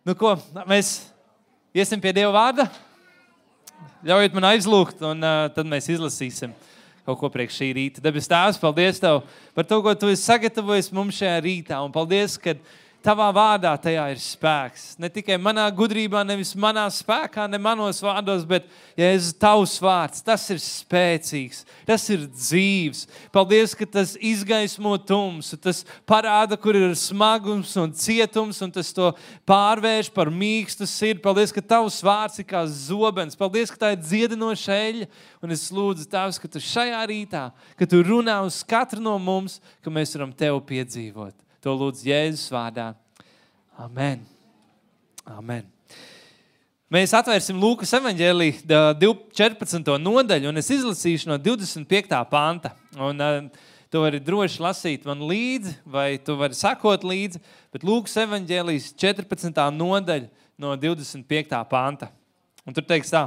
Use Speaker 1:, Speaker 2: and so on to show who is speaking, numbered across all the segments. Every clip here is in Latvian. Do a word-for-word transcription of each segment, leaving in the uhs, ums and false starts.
Speaker 1: Nu ko, mēs iesim pie Dieva vārda. Ļaujiet man aizlūgt, un uh, tad mēs izlasīsim kaut ko priekš šī rīta. Debes Tēvs, paldies Tev par to, ko Tu esi sagatavojis mums šajā rītā. Un paldies, ka Tavā vārdā tajā ir spēks. Ne tikai manā gudrībā, nevis manā spēkā, ne manos vārdos, bet, Jēzus, Tavs vārds, tas ir spēcīgs, tas ir dzīvs. Paldies, ka tas izgaismo tumsu, tas parāda, kur ir smagums un cietums, un tas to pārvērš par mīkstu sirdi. Paldies, ka Tavs vārds ir kā zobens. Paldies, ka tā ir dziedinoša eļļa. Un es lūdzu, Tēvs, ka Tu šajā rītā, ka Tu runā uz katru no mums, ka mēs varam Tev piedzīvot. To lūdzu Jēzus vārdā. Amen. Amen. Mēs atvērsim Lūkas evaņģēliju četrpadsmito nodaļu, un es izlasīšu no divdesmit piektā panta. Un uh, tu vari droši lasīt man līdzi, vai tu vari sakot līdzi, bet Lūkas evaņģēlijas četrpadsmitā nodaļa no divdesmit piektā panta. Un tur teiks tā.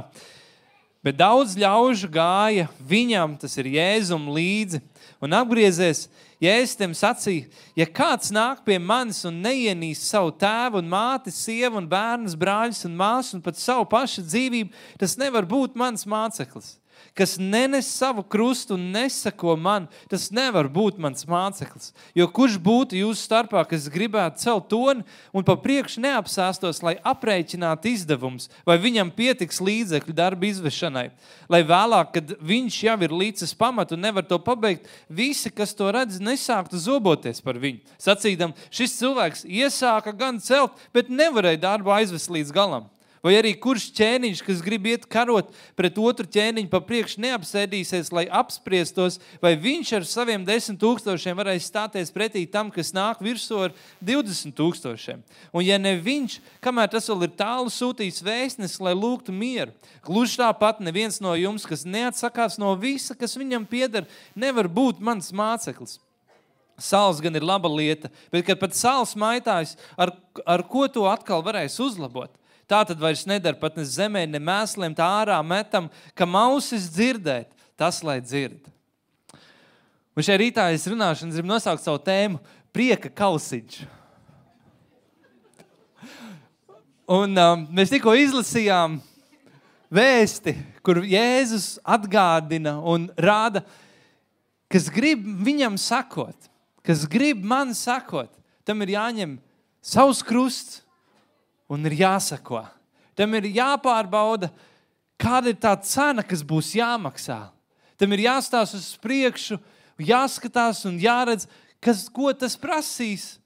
Speaker 1: Bet daudz ļaužu gāja viņam, tas ir Jēzum, līdzi, un apgriezies, Jēzus tiem sacīja, ja kāds nāk pie manis un neienīst savu tēvu un māti, sievu un bērnus, brāļus un māsu un pat savu pašu dzīvību, tas nevar būt mans māceklis. Kas nenes savu krustu un nesako man, tas nevar būt mans māceklis. Jo kurš būtu jūsu starpā, kas gribētu celt toni un pa priekšu neapsāstos, lai aprēķinātu izdevums, vai viņam pietiks līdzekļu darba izvešanai. Lai vēlāk, kad viņš jau ir līdzes pamatu un nevar to pabeigt, visi, kas to redz, nesāktu zoboties par viņu. Sacīdam, šis cilvēks iesāka gan celt, bet nevarēja darbu aizvest līdz galam. Vai arī kurš ķēniņš, kas grib iet karot pret otru ķēniņu pa priekšu neapsēdīsies, lai apspriestos, vai viņš ar saviem desmit tūkstošiem varēs stāties pretī tam, kas nāk virsū ar divdesmit tūkstošiem. Un ja ne viņš, kamēr tas vēl ir tālu sūtījis vēstnes, lai lūgtu mieru, gluži tāpat neviens no jums, kas neatsakās no visa, kas viņam pieder, nevar būt mans māceklis. Sāls gan ir laba lieta, bet kad pat sāls maitājas, ar, ar ko to atkal varēs uzlabot? Tā tad vairs nedara pat ne zemē, ne mēsliem, tā ārā metam, ka mausis dzirdēt, tas lai dzird. Un šajā rītā es runāšu un gribu nosaukt savu tēmu prieka kausiņš. Un um, mēs tikko izlasījām vēsti, kur Jēzus atgādina un rāda, kas grib viņam sakot, kas grib man sakot, tam ir jāņem savs krusts, un ir jāsako. Tam ir jāpārbauda, kāda ir tā cena, kas būs jāmaksā. Tam ir jāstās uz priekšu, jāskatās un jāredz, kas, ko tas prasīs.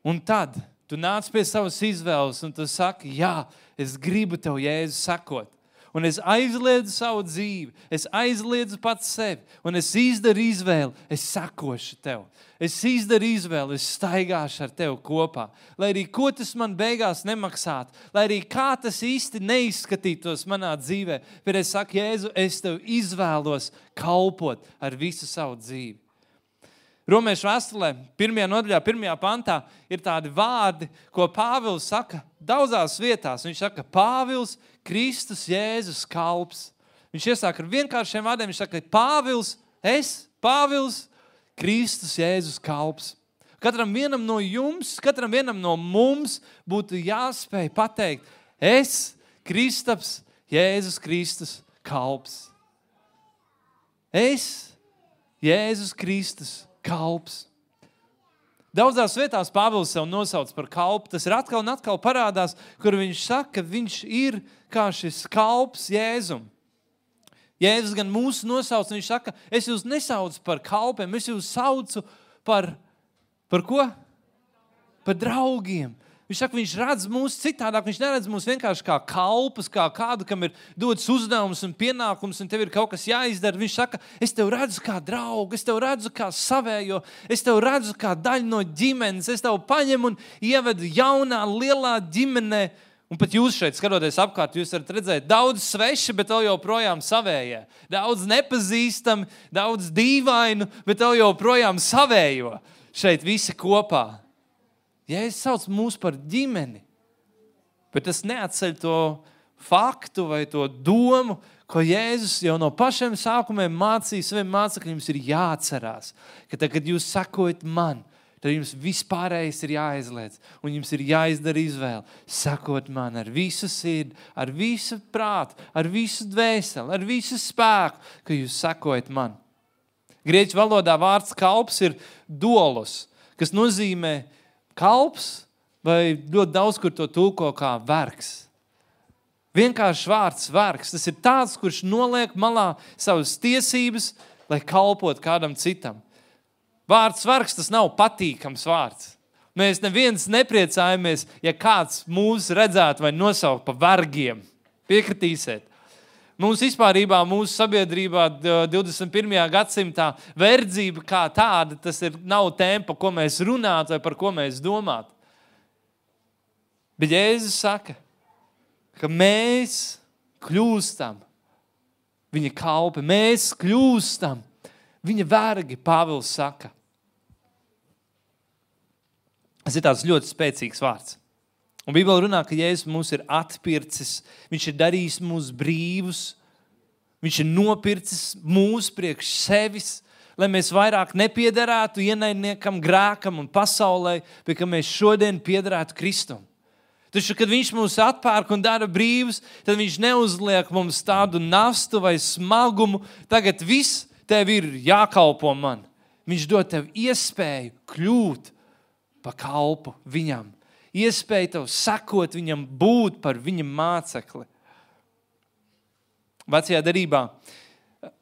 Speaker 1: Un tad tu nāc pie savas izvēles un tu saki, jā, es gribu tev, Jēzu, sakot. Un es aizliedzu savu dzīvi, es aizliedzu pats sevi, un es izdaru izvēli, es sakošu tev. Es izdaru izvēli, es staigāšu ar tevi kopā. Lai arī ko tas man beigās nemaksātu, lai arī kā tas īsti neizskatītos manā dzīvē, bet es saku, Jēzu, es tev izvēlos kalpot ar visu savu dzīvi. Romiešu vēstulē, pirmajā nodaļā, pirmajā pantā, ir tādi vārdi, ko Pāvils saka daudzās vietās. Viņš saka, Pāvils, Kristus, Jēzus, kalps. Viņš iesāk ar vienkāršiem vārdiem, viņš saka, Pāvils, es, Pāvils, Kristus, Jēzus, kalps. Katram vienam no jums, katram vienam no mums būtu jāspēj pateikt, es, Kristaps, Jēzus, Kristus, kalps. Es, Jēzus, Kristus, kalps. Daudzās vietās Pāvils sev nosauc par kalpu. Tas ir atkal un atkal parādās, kur viņš saka, ka viņš ir kā šis kalps Jēzum. Jēzus gan mūsu nosauc, viņš saka, es jūs nesaucu par kalpiem, es jūs saucu par, par ko? Par draugiem. Viņš saka, viņš redz mūs citādāk, viņš neredz mūs vienkārši kā kalpus, kā kādu, kam ir dots uzdevums un pienākums, un tev ir kaut kas jāizdara. Viņš saka, es tev redzu kā draugu, es tev redzu kā savējo, es tev redzu kā daļu no ģimenes, es tev paņemu un ievedu jaunā, lielā ģimenē. Un pat jūs šeit, skatoties apkārt, jūs varat redzēt daudz sveši, bet vēl joprojām savējie. Daudz nepazīstami, daudz dīvainu, bet vēl joprojām savējo. Šeit visi kopā. Jēzus sauc mūs par ģimeni, bet tas neatceļ to faktu vai to domu, ko Jēzus jau no pašiem sākumiem mācīja saviem mācekļiem, jums ir jāatcerās, ka tad, kad jūs sakojat man, tad jums vispārējais ir jāaizliedz, un jums ir jāizdara izvēle, sakot man ar visu sirdi, ar visu prātu, ar visu dvēseli, ar visu spēku, ka jūs sakojat man. Grieķu valodā vārds kalps ir dolos, kas nozīmē kalps, vai ļoti daudz, kur to tulko kā vergs. Vienkārši vārds vergs. Tas ir tāds, kurš noliek malā savas tiesības, lai kalpot kādam citam. Vārds vergs, tas nav patīkams vārds. Mēs neviens nepriecājamies, ja kāds mūs redzētu vai nosaukt pa vergiem. Piekritīsiet. Mums vispārībā, mūsu sabiedrībā divdesmit pirmajā gadsimtā verdzība kā tāda, tas ir, nav tēma, par ko mēs runātu vai par ko mēs domātu. Bet Jēzus saka, ka mēs kļūstam viņa kalpi, mēs kļūstam viņa vergi, Pāvils saka. Tas ir tāds ļoti spēcīgs vārds. Un Bībele runā, ka Jēzus mūs ir atpircis, viņš ir darījis mūs brīvus, viņš ir nopircis mūs priekš sevis, lai mēs vairāk nepiederētu ienaidniekam, grēkam un pasaulē, bet ka mēs šodien piederētu Kristum. Taču, kad viņš mūs atpērk un dara brīvus, tad viņš neuzliek mums tādu nastu vai smagumu. Tagad viss tev ir jākalpo man. Viņš dod tev iespēju kļūt pa kalpu viņam. Iespēju tev sakot viņam, būt par viņa mācekli. Vecajā derībā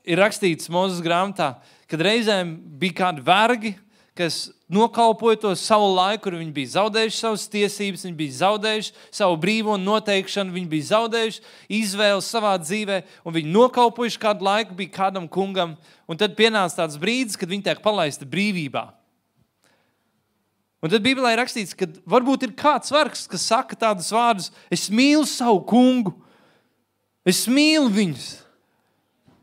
Speaker 1: ir rakstīts Mūzes grāmatā, kad reizēm bija kādi vergi, kas nokalpoja to savu laiku, kur viņi bija zaudējuši savas tiesības, viņi bija zaudējuši savu brīvo noteikšanu, viņi bija zaudējuši izvēli savā dzīvē, un viņi nokalpojuši kādu laiku, bija kādam kungam, un tad pienāca tāds brīdis, kad viņi tiek palaista brīvībā. Un tad Bībelē ir rakstīts, ka varbūt ir kāds vergs, kas saka tādus vārdus, es mīlu savu kungu, es mīlu viņus.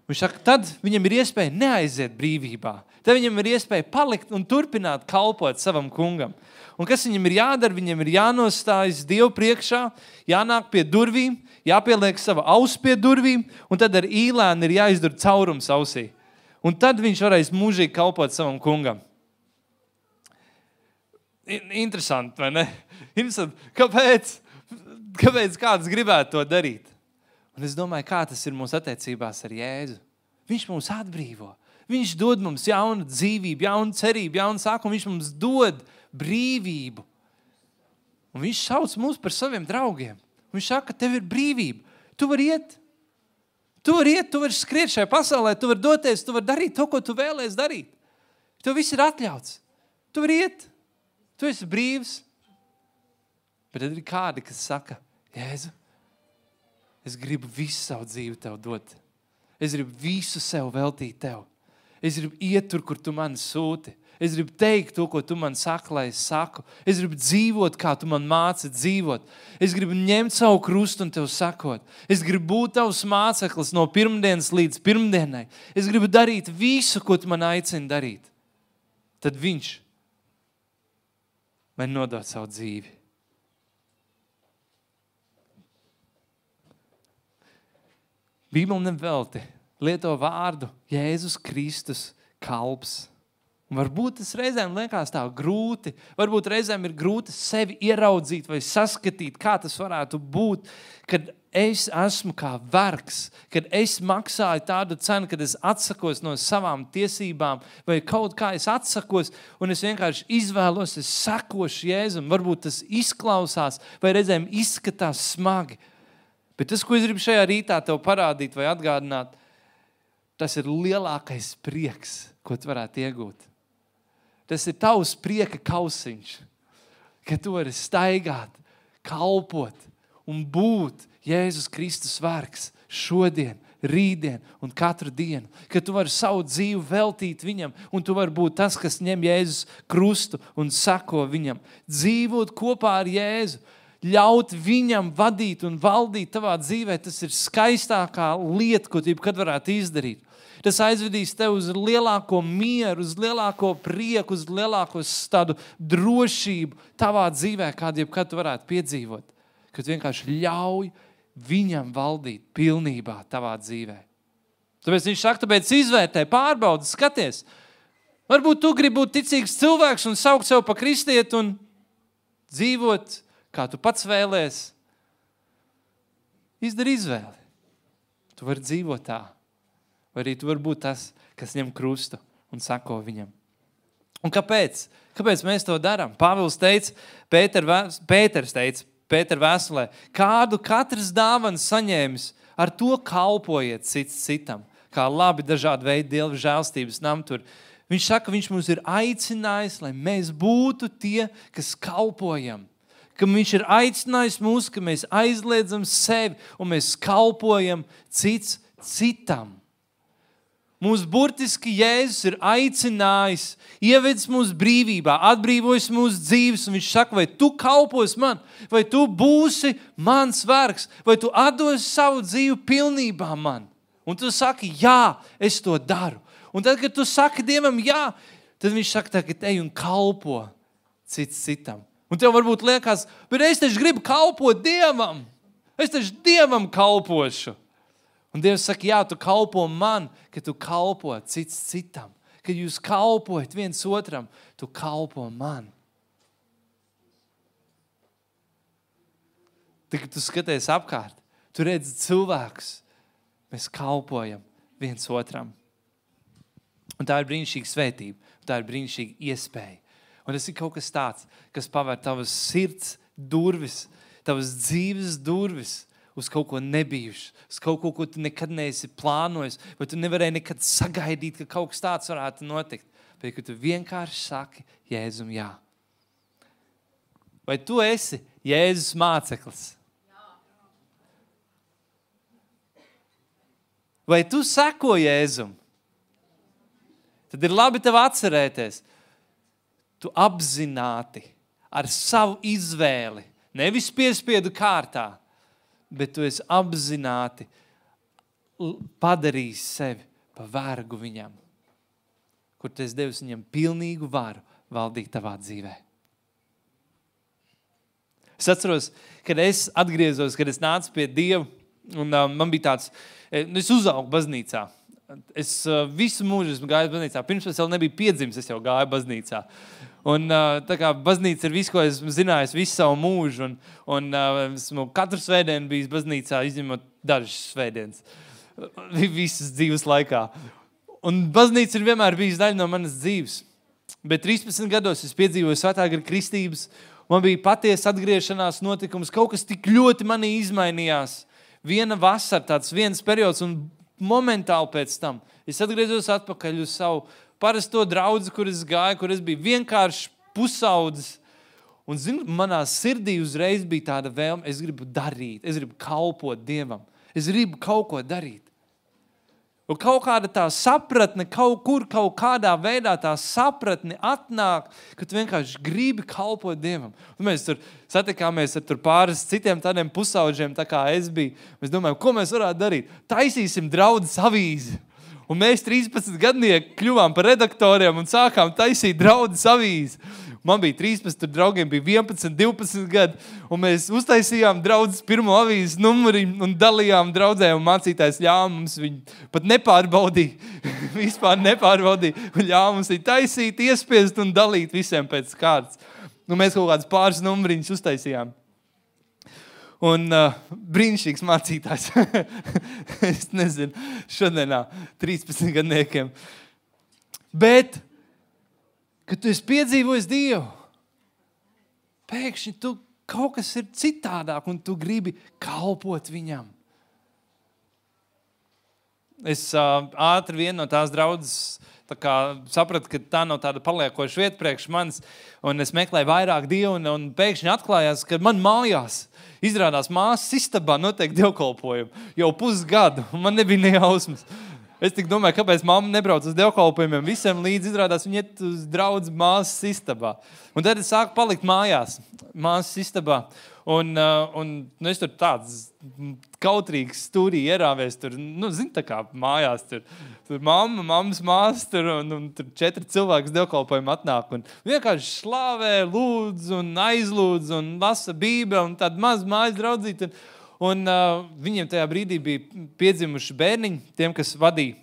Speaker 1: Viņš saka, tad viņam ir iespēja neaiziet brīvībā. Tad viņam ir iespēja palikt un turpināt kalpot savam kungam. Un kas viņam ir jādara? Viņam ir jānostājas Dievu priekšā, jānāk pie durvīm, jāpieliek sava aus pie durvīm, un tad ar īlēnu ir jāizdara caurums ausī. Un tad viņš varēs mūžīgi kalpot savam kungam. Interesanti, vai ne? Interesanti. Kāpēc? Kāpēc kāds gribētu to darīt? Un es domāju, kā tas ir mūsu attiecībās ar Jēzu. Viņš mūs atbrīvo. Viņš dod mums jaunu dzīvību, jaunu cerību, jaunu sākumu. Viņš mums dod brīvību. Un viņš sauc mūs par saviem draugiem. Viņš saka, ka tev ir brīvība. Tu vari iet. Tu vari iet, tu vari skriet šajā pasaulē, tu vari doties, tu vari darīt to, ko tu vēlies darīt. Tev viss ir atļauts. Tu vari iet. Tu esi brīvs. Bet tad ir kādi, kas saka, Jēzu, es gribu visu savu dzīvi tev dot. Es gribu visu sev veltīt tev. Es gribu iet tur, kur tu mani sūti. Es gribu teikt to, ko tu man saki, lai es saku. Es gribu dzīvot, kā tu man māci dzīvot. Es gribu ņemt savu krustu un tev sakot. Es gribu būt tavs māceklis no pirmdienas līdz pirmdienai. Es gribu darīt visu, ko tu man aicini darīt. Tad viņš man nodot savu dzīvi. Bībele nevelti lieto vārdu Jēzus Kristus kalps. Un varbūt tas reizēm liekas tā grūti, varbūt reizēm ir grūti sevi ieraudzīt vai saskatīt, kā tas varētu būt, kad es esmu kā vergs, kad es maksāju tādu cenu, kad es atsakos no savām tiesībām vai kaut kā es atsakos un es vienkārši izvēlos, es sekošu Jēzum. Varbūt tas izklausās vai reizēm izskatās smagi. Bet tas, ko es gribu šajā rītā tev parādīt vai atgādināt, tas ir lielākais prieks, ko tu varētu iegūt. Tas ir tavs prieka kausiņš, ka tu vari staigāt, kalpot un būt Jēzus Kristus vergs šodien, rītdien un katru dienu. Ka tu vari savu dzīvi veltīt viņam un tu vari būt tas, kas ņem Jēzus krustu un sako viņam. Dzīvot kopā ar Jēzu, ļaut viņam vadīt un valdīt tavā dzīvē, tas ir skaistākā lieta, ko tu jebkad varētu izdarīt. Tas aizvedīs tev uz lielāko mieru, uz lielāko prieku, uz lielāko tādu drošību tavā dzīvē, kādu jebkad tu varētu piedzīvot. Kad vienkārši ļauj viņam valdīt pilnībā tavā dzīvē. Tāpēc viņš saka, tāpēc izvērtē, pārbaudi, skaties. Varbūt tu gribi būt ticīgs cilvēks un saukt sev pa kristieti un dzīvot, kā tu pats vēlies. Izdari izvēli. Tu vari dzīvot tā. Vai arī tu vari būt tas, kas ņem krustu un sako viņam. Un kāpēc? Kāpēc mēs to darām? Pāvils teica, Pēter, Pēters teica, Pēter vēstulē, kādu katrs dāvanu saņēmis, ar to kalpojiet cits citam. Kā labi dažādi veidi Dieva žēlstības namtur. Viņš saka, viņš mums ir aicinājis, lai mēs būtu tie, kas kalpojam. Ka viņš ir aicinājis mūs, ka mēs aizliedzam sevi un mēs kalpojam cits citam. Mūs burtiski Jēzus ir aicinājis, ievedis mūsu brīvībā, atbrīvojis mūsu dzīves, un viņš saka, vai tu kalpos man, vai tu būsi mans vergs, vai tu atdosi savu dzīvi pilnībā man. Un tu saki, jā, es to daru. Un tad, kad tu saki Dievam jā, tad viņš saka, tagad ej un kalpo cits citam. Un tev varbūt liekas, bet es taču gribu kalpot Dievam. Es taču Dievam kalpošu. Un Dievs saka, jā, tu kalpo man, ka tu kalpo cits citam. Kad jūs kalpojat viens otram, tu kalpo man. Tad, kad tu skaties apkārt, tu redzi cilvēkus, mēs kalpojam viens otram. Un tā ir brīnišķīga svētība, tā ir brīnišķīga iespēja. Un tas ir kaut kas tāds, kas pavēr tavas sirds durvis, tavas dzīves durvis, uz kaut ko nebijuši, uz kaut ko, ko tu nekad neesi plānojis, vai tu nevarēji nekad sagaidīt, ka kaut kas tāds varētu notikt. Bet, ka tu vienkārši saki Jēzum jā. Vai tu esi Jēzus māceklis? Vai tu seko Jēzum? Tad ir labi tev atcerēties. Tu apzināti ar savu izvēli, nevis piespiedu kārtā, bet tu esi apzināti padarījis sevi pa vergu viņam, kur tu esi devis viņam pilnīgu varu valdīt tavā dzīvē. Es atceros, kad es atgriezos, kad es nācu pie Dieva, un um, man bija tāds, es uzaugu baznīcā. Es uh, visu mūžu esmu gājis baznīcā. Pirms es vēl nebiju piedzimis, es jau gāju baznīcā. Un uh, tā kā baznīca ir viss, ko esmu zinājis visu savu mūžu, un, un uh, esmu katru svētdienu bijis baznīcā, izņemot dažas svētdienas, visas dzīves laikā. Un baznīca ir vienmēr bijis daļa no manas dzīves. Bet trīspadsmit gados es piedzīvoju svētā gara kristības, man bija patiesa atgriešanās notikums, kaut kas tik ļoti manī izmainījās. Viena vasara, tāds viens periods, un momentāli pēc tam es atgriezos atpakaļ uz savu parasto draudzi, kur es gāju, kur es biju vienkārši pusaudzis. Un, zinu, manā sirdī uzreiz bija tāda vēlme, es gribu darīt, es gribu kalpot Dievam. Es gribu kaut ko darīt. Un kaut kāda tā sapratne, kaut kur, kaut kādā veidā tā sapratne atnāk, ka tu vienkārši gribi kalpot Dievam. Un mēs tur satikāmies ar tur pāris citiem tādiem pusauģiem, tā kā es biju. Mēs domājam, ko mēs varētu darīt? Taisīsim draudzes avīzi. Un mēs trīspadsmit gadnieki kļuvām par redaktoriem un sākām taisīt draudzes avīzi. Man bija trīspadsmit, tur draugiem bija vienpadsmit, divpadsmit gadi, un mēs uztaisījām draudzes pirmo avīzes numuri un dalījām draudzē, un mācītājs ļāva mums viņu pat nepārbaudīja, vispār nepārbaudīja, un ļāva mums viņu taisīt, iespiest un dalīt visiem pēc kārtas. Un mēs kaut kāds pāris numuriņus uztaisījām. Un uh, brīnišķīgs mācītājs. Es nezinu, šodienā trīspadsmit gadniekiem. Bet, kad tu esi piedzīvojis Dievu, pēkšņi tu kaut kas ir citādāk un tu gribi kalpot viņam. Es uh, ātri vienu no tās draudzes tā kā sapratu, ka tā nav tāda paliekoša vieta priekš manis, un es meklēju vairāk Dievu, un, un pēkšņi atklājās, ka man mājās izrādās māsas istabā notiek dievkalpojumu jau pusgadu, un man nebija ne jausmas. Es tik domāju, kāpēc mamma nebrauc uz dievkalpojumiem, visiem līdz izrādās viņa iet uz draudz māsas istabā. Un tad es sāku palikt mājās, māsas istabā, un, un nu, es tur tāds kautrīgs stūrī ierāvies, tur, nu, zin, tā kā mājās, tur, tur mamma, mammas māsas, tur, un, un tur četri cilvēki dievkalpojumu atnāk, un vienkārši slāvē, lūdz, un aizlūdz, un lasa bībeli, un tāda maz mājas draudzīt, un, un uh, viņiem tajā brīdī bija piedzimuši bērniņi, tiem, kas vadīja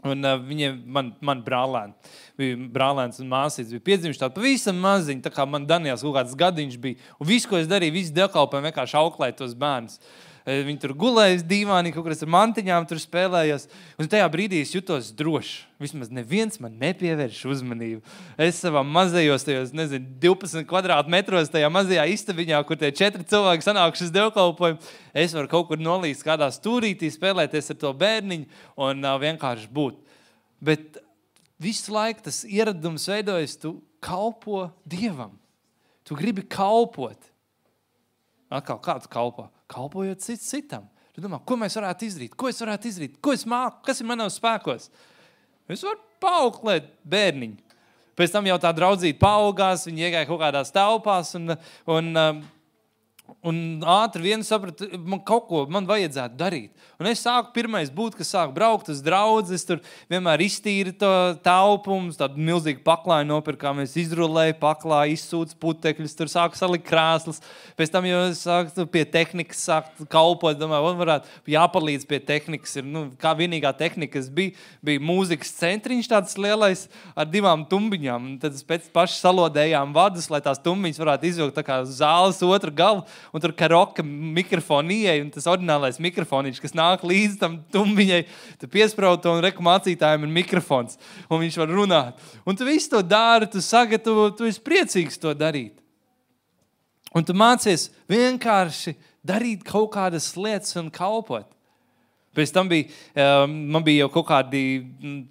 Speaker 1: Un uh, viņiem, man, man brālēni, bija brālēns un māsītes, bija piedzimuši tādi pavisam maziņi, tā kā man Daniels kaut kāds gadiņš bija. Un visu, ko es darīju, visu dievkalpojumu vienkārši auklēju tos bērnus. Viņi tur gulējas dīvānī, kaut kur ar mantiņām tur spēlējos. Un tajā brīdī es jutos droši. Vismaz neviens man nepievērš uzmanību. Es savā mazajos, tajos, nezinu, divpadsmit kvadrātmetros, tajā mazajā istabiņā, kur tie četri cilvēki sanākuši uz dievkalpojumu, es varu kaut kur nolīst kādā stūrītī, spēlēties ar to bērniņu un uh, vienkārši būt. Bet visu laiku tas ieradums veidojas, tu kalpo Dievam. Tu gribi kalpot. Atkal, kā tu kalpo? Kalpojot cits citam. Tu domā, ko mēs varētu izdarīt? Ko es varētu izdarīt? Ko es māku? Kas ir manos spēkos? Es varu paauklēt bērniņu. Pēc tam jau tā draudzīte paaugās, viņi iegāja kaut kādās telpās un, un, un ātri vienu sapratu, man kaut ko man vajadzētu darīt. Un es sāku pirmais būt, kas sāku braukt uz draudzi, es tur vienmēr iztīri to telpumus, tādu milzīgu paklāju nopirkām, es izrulēju paklāju, izsūcu putekļus, tur sāku salikt krāslas. Pēc tam jau es sāku pie tehnikas, sāku kalpot, domāju, man varētu jāpalīdz pie tehnikas. Ir, nu, kā vienīgā tehnika, kas bija, bija mūzikas centriņš tāds lielais ar divām tumbiņām. Un tad pēc paši salodējām vadus, lai tās tumbiņas varētu izvilkt tā kā zāles otru galu. Un tur karoka mikrofonu ieeja, un tas oriģinālais mikrofoniņš, kas nāk līdz tam tumbiņai, tu piesprauto un reku mācītājiem ir mikrofons, un viņš var runāt. Un tu visu to dari, tu sagatavo, tu esi priecīgs to darīt. Un tu mācies vienkārši darīt kaut kādas lietas un kalpot. Pēc tam bija, man bija jau kaut kādi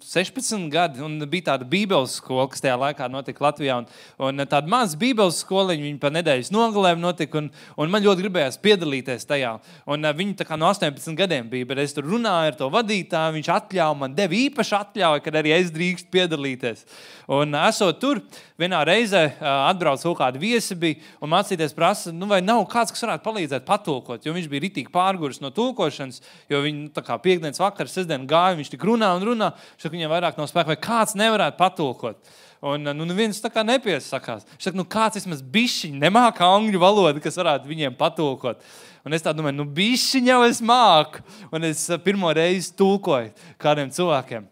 Speaker 1: sešpadsmit gadi, un bija tāda bībeles skola, kas tajā laikā notika Latvijā. Un, un tāda maza bībeles skoliņa, viņa pa nedēļas nogalēm notika, un, un man ļoti gribējās piedalīties tajā. Un viņi tā kā no astoņpadsmit gadiem bija, bet es tur runāju ar to vadītāju, viņš atļauja, man deva īpaši atļauja, kad arī es drīkst piedalīties. Un esot tur, vienā reizē atbrauc kaut kādi viesi bija, un mācīties prasa, nu vai nav kāds, kas varētu palīdzēt patulkot, jo viņš bija ritīgi pārguris no tulkošanas, jo viņi tā kā piekdienas vakar, sestdien gāja, viņš tik runā un runā, viņš saka, viņam vairāk nav spēka, vai kāds nevarētu patulkot. Un nu neviens tā kā nepiesakās. Viņš saka, nu kāds vismaz bišķiņ nemāka angļu valodu, kas varētu viņiem patulkot. Un es tā domāju, nu bišķiņ jau es māku. Un es pirmo reizi tulkoju kādiem cilvēkiem.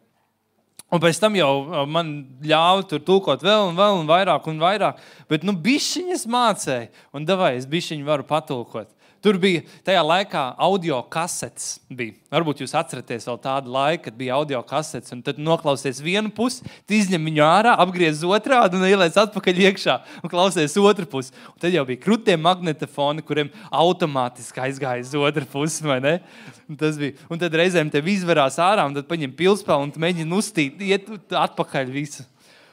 Speaker 1: Un pēc tam jau man ļāva tur tulkot vēl un vēl un vairāk un vairāk. Bet nu bišķiņ es mācēju. Un davai, es bišķiņ varu patulkot. Tur bija tajā laikā audio kasetes bija. Varbūt jūs atceraties vēl tādu laiku, kad bija audio kasetes, un tad noklausies vienu pusi, tu izņem viņu ārā, apgriez otrādi un ieliec atpakaļ iekšā un klausies otru pusi. Un tad jau bija krutie magnetofoni, kuriem automātiski aizgāja uz otru pusi, vai ne? Un, tas bija. Un tad reizēm tev izverās ārā, un tad paņem pilspēlu un mēģina uztīt, iet atpakaļ visu.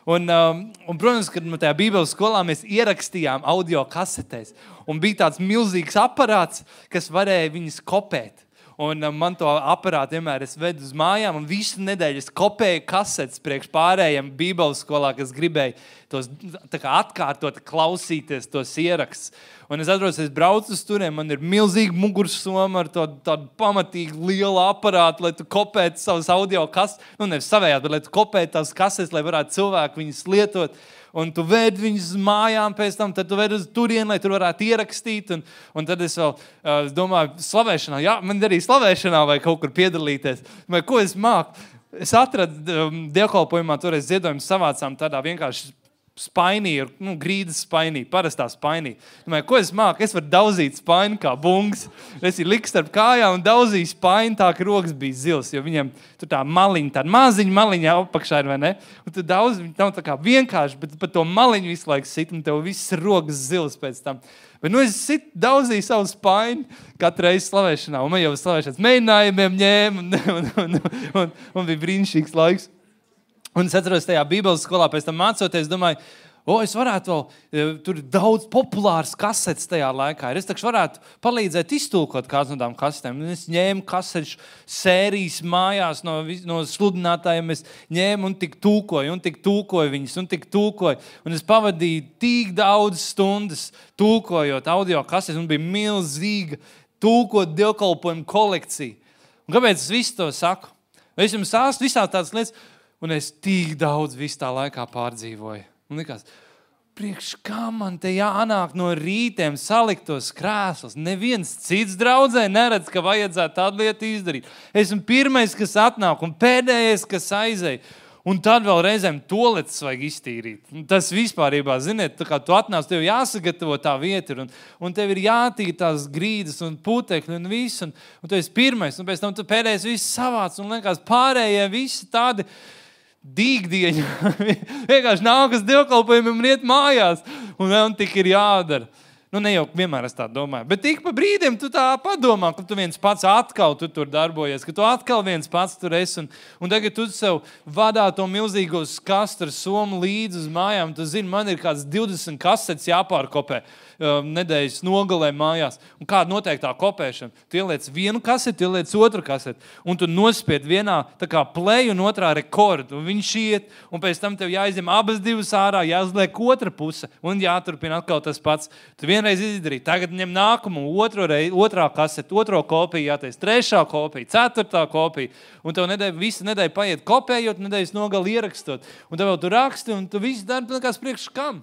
Speaker 1: Un, um, un, protams, kad tajā bībeles skolā mēs ierakstījām audio kasetēs. Un bija tāds milzīgs aparāts, kas varēja viņas kopēt. Un um, man to aparātu vienmēr es vedu uz mājām, un visu nedēļu es kopēju kasetes priekš pārējiem bībeles skolā, kas gribēja tos tā kā atkārtot, klausīties tos ierakstus. Un es atrodos, es braucu uz turiem, man ir milzīga mugursoma ar to, tādu pamatīgi lielu aparātu, lai tu kopētu savus audio kasetes, nu nevis savējāt, bet lai tu kopētu tās kasetes, lai varētu cilvēki viņas lietot. Un tu ved viņus mājām pēc tam, tad tu ved uz turieni, lai tur varētu ierakstīt. Un, un tad es vēl uh, domāju, slavēšanā, jā, man arī slavēšanā vai kaut kur piedalīties. Vai ko es māku? Es atradu um, dievkalpojumā, toreiz ziedojumu savācām tādā vienkārši spainī, nu, grīdas spainī, parastā spainī. Domāju, ko es māku? Es varu dauzīt spaini kā bungs. Es ir liku starp kājām un daudzīju spaini tā, ka rokas bija zils, jo viņam tur tā maliņa, tāda maziņa maliņa apakšā ir, vai ne? Un tu daudz, viņi nav tā kā vienkārši, bet pat to maliņu visu laiku sit, un tev viss rokas zils pēc tam. Bet nu es sit, daudzīju savu spaini katru reizi slavēšanā, un man jau slavēšanas mēģinājumiem ņēma, un, un, un, un, un, un bija brīnišķīgs laiks. Un es atceros tajā bībeles skolā, pēc tam mācoties, domāju, o, es varētu vēl, tur ir daudz populāras kasetes tajā laikā. Es taču varētu palīdzēt iztulkot kāds no tām kasetēm. Un es ņēmu kasešu sērijas mājās no, no sludinātājiem, es ņēmu un tik tulkoju, un tik tulkoju viņas, un tik tulkoju. Un es pavadīju tik daudz stundas tulkojot audio kasetes, un bija milzīga tulkot dievkalpojumu kolekcija. Un kāpēc es visu to saku? Es jums stāstu visās tādas lietas, un es tik daudz visu tā laikā pārdzīvoju. Un likās, priekš kā man te jānāk no rītiem salikt tos krēslus. Neviens cits draudzē neredz, ka vajadzētu tādu lietu izdarīt. Esmu pirmais, kas atnāk un pēdējais, kas aizēj. Un tad vēl reizēm toaletes vajag iztīrīt. Tas vispārībā, ziniet, tā kā tu atnāc, tev jāsagatavo tā vieta, un, un tev ir jātīr tās grīdas un putekļi un viss, un, un tu esi pirmais, un pēc tam tu pēdējais viss savāc, un liekas pārējie visi tādi dīgdieņi. Vienkārši nāk uz dievkalpojumiem un iet mājās, un vēl tik ir jādara. Nu, ne jau vienmēr es tā domāju, bet tik pa brīdiem tu tā padomā, ka tu viens pats atkal tu tur darbojies, ka tu atkal viens pats tur esi, un, un tagad tu sev vadā to milzīgo skastu ar somu līdzi uz mājām. Tu zini, man ir kāds divdesmit kasetes jāpārkopē um, nedēļas nogalē mājās. Un kāda noteiktā kopēšana? Tu ieliec vienu kaseti, tu ieliec otru kaseti, un tu nospied vienā tā kā play un otrā rekordu, un viņš iet, un pēc tam tev jāizņem abas divas ārā, jāuzliek otra puse, un jāturpina atkal tas pats. Tu vienreiz izdarīt, tagad ņem nākumu, otro reizi, otrā kasete, otro kopiju jātais, trešā kopija, ceturtā kopija, un tev nedēļa, visa nedēļa paiet kopējot, nedēļas nogali ierakstot, un tev vēl tu raksti, un tu visu dari, nekās priekš kam.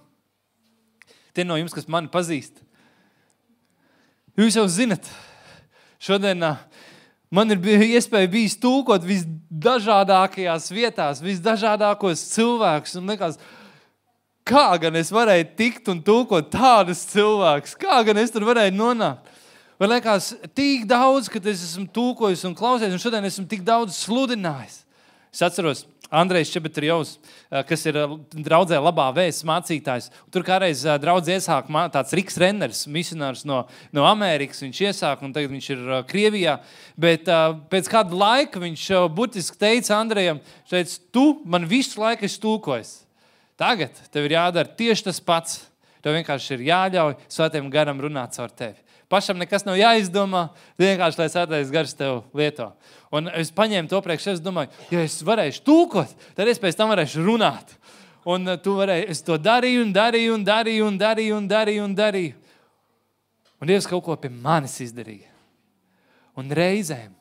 Speaker 1: Tie no jums, kas mani pazīst. Jūs jau zinat, šodien man ir iespēja bijis tūkot visdažādākajās vietās, visdažādākos cilvēkus, un nekās, kā gan es varēju tikt un tūkot tādus cilvēkus? Kā gan es tur varēju nonākt? Vai liekas, tik daudz, kad es esmu tūkojis un klausies, un šodien esmu tik daudz sludinājis. Es atceros Andrejs Čebetrjovs, kas ir draudzē labā vēsts mācītājs. Tur kādreiz draudz iesāk tāds Riks Renners, misionārs no, no Amerikas. Viņš iesāk, un tagad viņš ir Krievijā. Bet pēc kāda laika viņš burtiski teica Andrejam, teica, tu man visu laiku esi tūkojis. Tagad tev ir jādara tieši tas pats. Tev vienkārši ir jāļauj Svētajam garam runāt caur tevi. Pašam nekas nav jāizdomā, vienkārši, lai Svētais gars tev lieto. Un es paņēmu to priekš, es domāju, ja es varēšu tūkot, tad es pēc tam varēšu runāt. Un tu varēji, es to darīju un darīju un darīju un darīju un darīju un darīju. Un Dievs kaut ko pie manis izdarīja. Un reizēm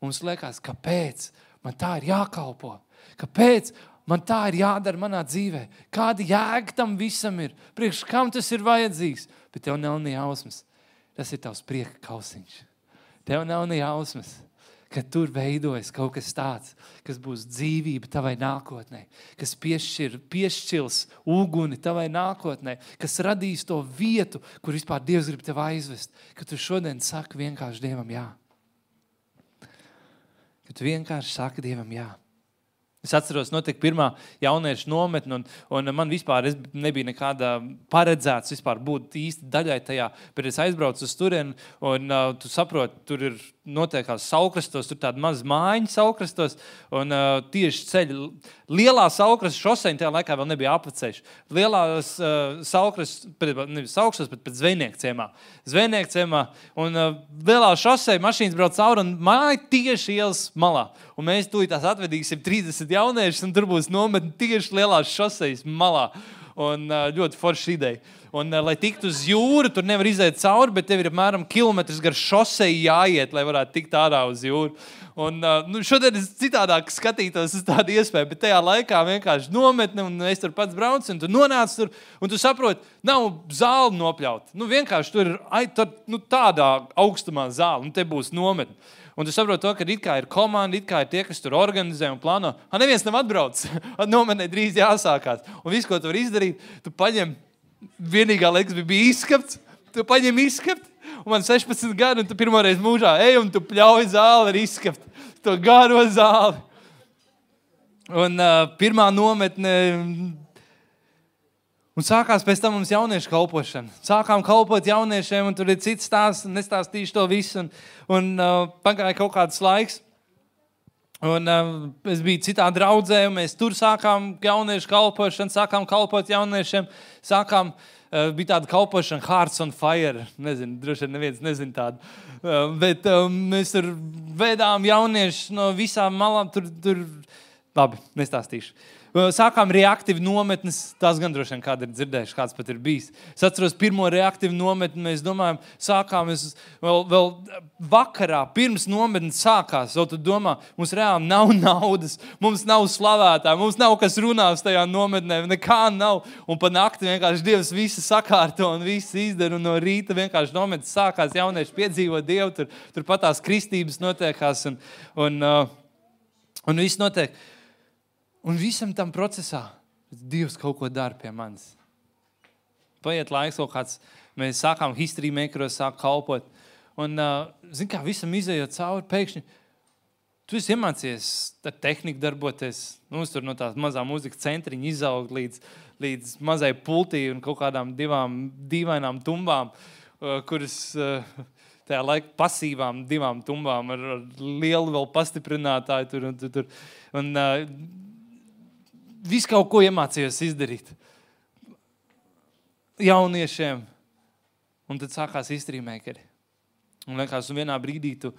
Speaker 1: mums liekas, kāpēc man tā ir jākalpo? Kāpēc man tā ir jādara manā dzīvē? Kāda jēga tam visam ir? Priekš kam tas ir vajadzīgs? Bet tev nav ne jausmas. Tas ir tavs prieka kausiņš. Tev nav ne jausmas, ka tur veidojas kaut kas tāds, kas būs dzīvība tavai nākotnē, kas piešķir, piešķils uguni tavai nākotnē, kas radīs to vietu, kur vispār Dievs grib tev aizvest, ka tu šodien saki vienkārši Dievam jā. Ka tu vienkārši saki Dievam jā. Es atceros, notika pirmā jauniešu nometne, un, un man vispār es nebija nekāda paredzēts vispār būt īsti daļai tajā, bet es aizbraucu uz turieni, un uh, tu saproti, tur ir notiekās saukrastos, tur tāda maz mājiņa saukrastos, un uh, tieši ceļi, lielā saukrasta šoseņa tajā laikā vēl nebija apveceļš. Lielās uh, saukrastas, nevis saukrastos, bet pēc Zvejnieku ciemā. Zvejnieku ciemā, un uh, lielā šoseja mašīnas brauc cauri, un māja tieši ielas malā. Un mēs tūlīt tās atvedīsim trīsdesmit jauniešus, un tur būs nometni tieši lielās šosejas malā. Un uh, ļoti forša ideja. Un, uh, lai tiktu uz jūru, tur nevar iziet cauri, bet tev ir apmēram kilometrs gar šoseju jāiet, lai varētu tikt ārā uz jūru. Un uh, nu, šodien es citādāk skatītos uz tādu iespēju, bet tajā laikā vienkārši nometne, un es tur pats braucu, un tu nonāc tur, un tu saproti, nav zāli nopļaut. Nu, vienkārši tur ir ai, tur, nu, tādā augstumā zāli, un te būs nometne. Un tu saproti to, ka it kā ir komanda, it kā ir tie, kas tur organizē un plāno. Ha, neviens nav atbraucis. Nometnē drīz jāsākās. Un visu, ko tu vari izdarīt, tu paņem, vienīgā liekas bija izskapts, tu paņem izskapt, un man sešpadsmit gadi, un tu pirmoreiz mūžā ej, un tu pļauj zāli ar izskapt. To garo zāli. Un uh, pirmā nometne... Un sākās pēc tam mums jauniešu kalpošana. Sākām kalpot jauniešiem, un tur ir cits stāsts, un nestāstīšu to visu. Un, un uh, pagāja kaut kāds laiks. Un uh, es biju citā draudzē, un mēs tur sākām jauniešu kalpošanu, sākām kalpot jauniešiem. Sākām, uh, bija tāda kalpošana Hearts on Fire. Nezinu, droši vien neviens nezin tādu. Uh, bet uh, mēs tur vedām jauniešus no visām malām. Tur, tur... Labi, nestāstīšu. Sākām reaktīvi nometnes, tās gan droši vien kādi ir dzirdējuši, kāds pat ir bijis. Es atceros pirmo reaktīvu nometni, mēs domājam, sākām, es vēl, vēl vakarā, pirms nometnes sākās, vēl tu domā, mums reāli nav naudas, mums nav slavētāji, mums nav kas runās tajā nometnē, nekā nav. Un pa nakti vienkārši Dievs visu sakārto un visu izdara, un no rīta vienkārši nometnes sākās, jaunieši piedzīvo Dievu, tur, tur pat tās kristības notiekās, un, un, un viss notiek. Un visam tam procesā Dievs kaut ko dara pie manis. Paiet laiks kaut kāds, mēs sākām history makeros, sāk kalpot. Un, uh, zin kā, visam izējot cauri, pēkšņi, tu esi iemācies ar tehniku darboties. Mums tur no tās mazā mūzika centriņa izaugt līdz, līdz mazai pultī un kaut kādām divām dīvainām tumbām, uh, kuras... Uh, tajā laika pasīvām divām tumbām ar, ar lielu vēl pastiprinātāju tur un tur. tur. Un uh, visu kaut ko iemācījos izdarīt jauniešiem. Un tad sākās history makeri. Un vienkārši vienā brīdī tu,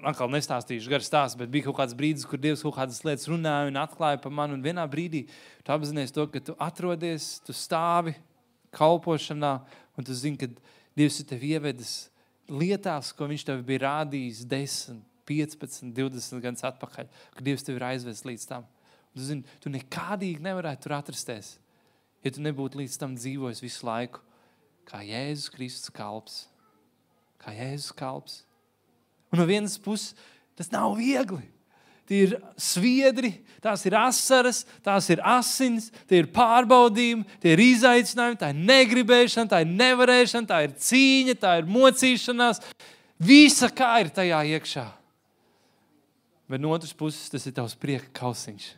Speaker 1: atkal nestāstīšu gar stāstu, bet bija kaut kāds brīdis, kur Dievs kaut kādas lietas runāja un atklāja par mani. Un vienā brīdī tu apzinies to, ka tu atrodies, tu stāvi kalpošanā un tu zini, ka Dievs ir tevi ievedis lietās, ko viņš tev bija rādījis desmit, piecpadsmit, divdesmit gadus atpakaļ, ka Dievs tevi ir aizvedis līdz tam. Un tu zini, tu nekādīgi nevarētu tur atrasties, ja tu nebūtu līdz tam dzīvojis visu laiku, kā Jēzus Kristus kalps. Kā Jēzus kalps. Un no vienas puses, tas nav viegli. Tie ir sviedri, tās ir asaras, tās ir asins, tie ir pārbaudījumi, tie ir izaicinājumi, tā ir negribēšana, tā ir nevarēšana, tā ir cīņa, tā ir mocīšanās. Visa kā ir tajā iekšā. Bet no otras puses tas ir tavs prieka kausiņš.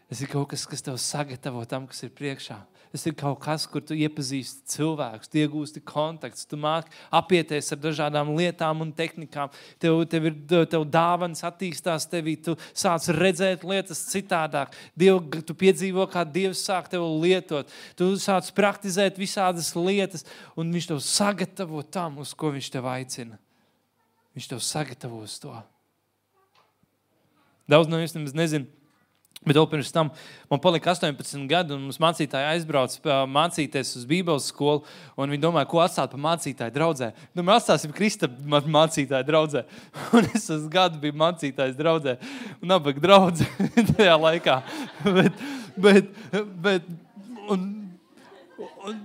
Speaker 1: Tas ir kaut kas, kas tev sagatavo tam, kas ir priekšā. Tas ir kaut kas, kur tu iepazīsti cilvēkus, tu iegūsti kontakts, tu māki apieties ar dažādām lietām un tehnikām. Tev, tev, ir, tev dāvanas attīstās tevī, tu sāc redzēt lietas citādāk. Dievu, tu piedzīvo, kā Dievs sāk tev lietot. Tu sāc praktizēt visādas lietas, un viņš tev sagatavo tam, uz ko viņš tev aicina. Viņš tev sagatavo uz to. Daudz no jums nemaz nezinu. Bet vēl pirms tam man palika astoņpadsmit gadi, un mums mācītāji aizbrauc mācīties uz Bībeles skolu, un viņi domāja, ko atstāt pa mācītāju draudzē. Domāju, atstāsim Krista mācītāju draudzē. Un es uz gadu biju mācītājs draudzē, un nabaga draudze tajā laikā. Bet, bet, bet, un, un,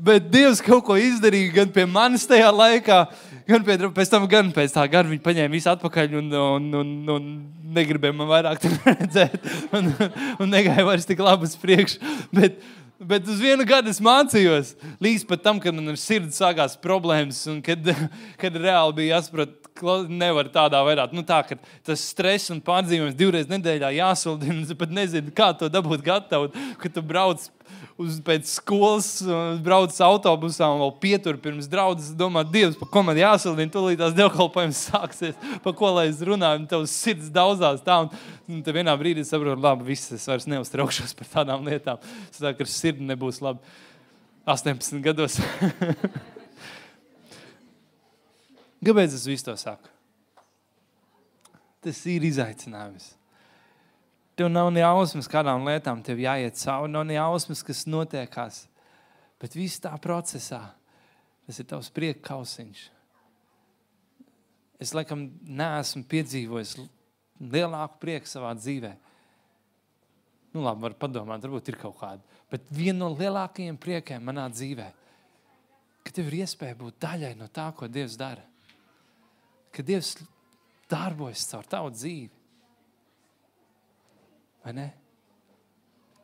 Speaker 1: bet Dievs kaut ko izdarīja gan pie manis tajā laikā, gan pie, pēc tam, gan pēc tā gada viņi paņēma visu atpakaļ un, un, un, un negribēja man vairāk redzēt un, un negāja vairs tik labi uz priekšu. Bet, bet uz vienu gadu es mācījos, līdz pat tam, kad man ar sirdi sākās problēmas un kad, kad reāli bija jāsaprot, nevar tādā vairāk. Nu tā, ka tas stress un pārdzīvojums divreiz nedēļā jāsaldina, un pat nezinu, kā to dabūt gatavu, kad tu brauc uz pēc skolas, brauc autobusā un vēl pietur pirms draudzes, domā, Dievs, pa ko man jāsaldina, tūlīt tās dievkalpojums sāksies, pa ko lai es runāju, un tavs sirds daudzās tā, un, un te vienā brīdī saprotu, labi, viss, es vairs neuztraukšos par tādām lietām. Es tā, ka ar sirdi nebūs labi astoņpadsmit gados. Kāpēc es visu to saku? Tas ir izaicinājums. Tev nav ne jausmas, kādām lietām tev jāiet cauri, nav ne jausmas, kas notiekās. Bet viss tā procesā, tas ir tavs prieka kausiņš. Es, laikam, neesmu piedzīvojis lielāku prieku savā dzīvē. Nu, labi, var padomāt, varbūt ir kaut kāda. Bet viena no lielākajiem priekiem manā dzīvē, ka tev ir iespēja būt daļai no tā, ko Dievs dara. Ka Dievs darbojas caur tavu dzīvi. Vai ne?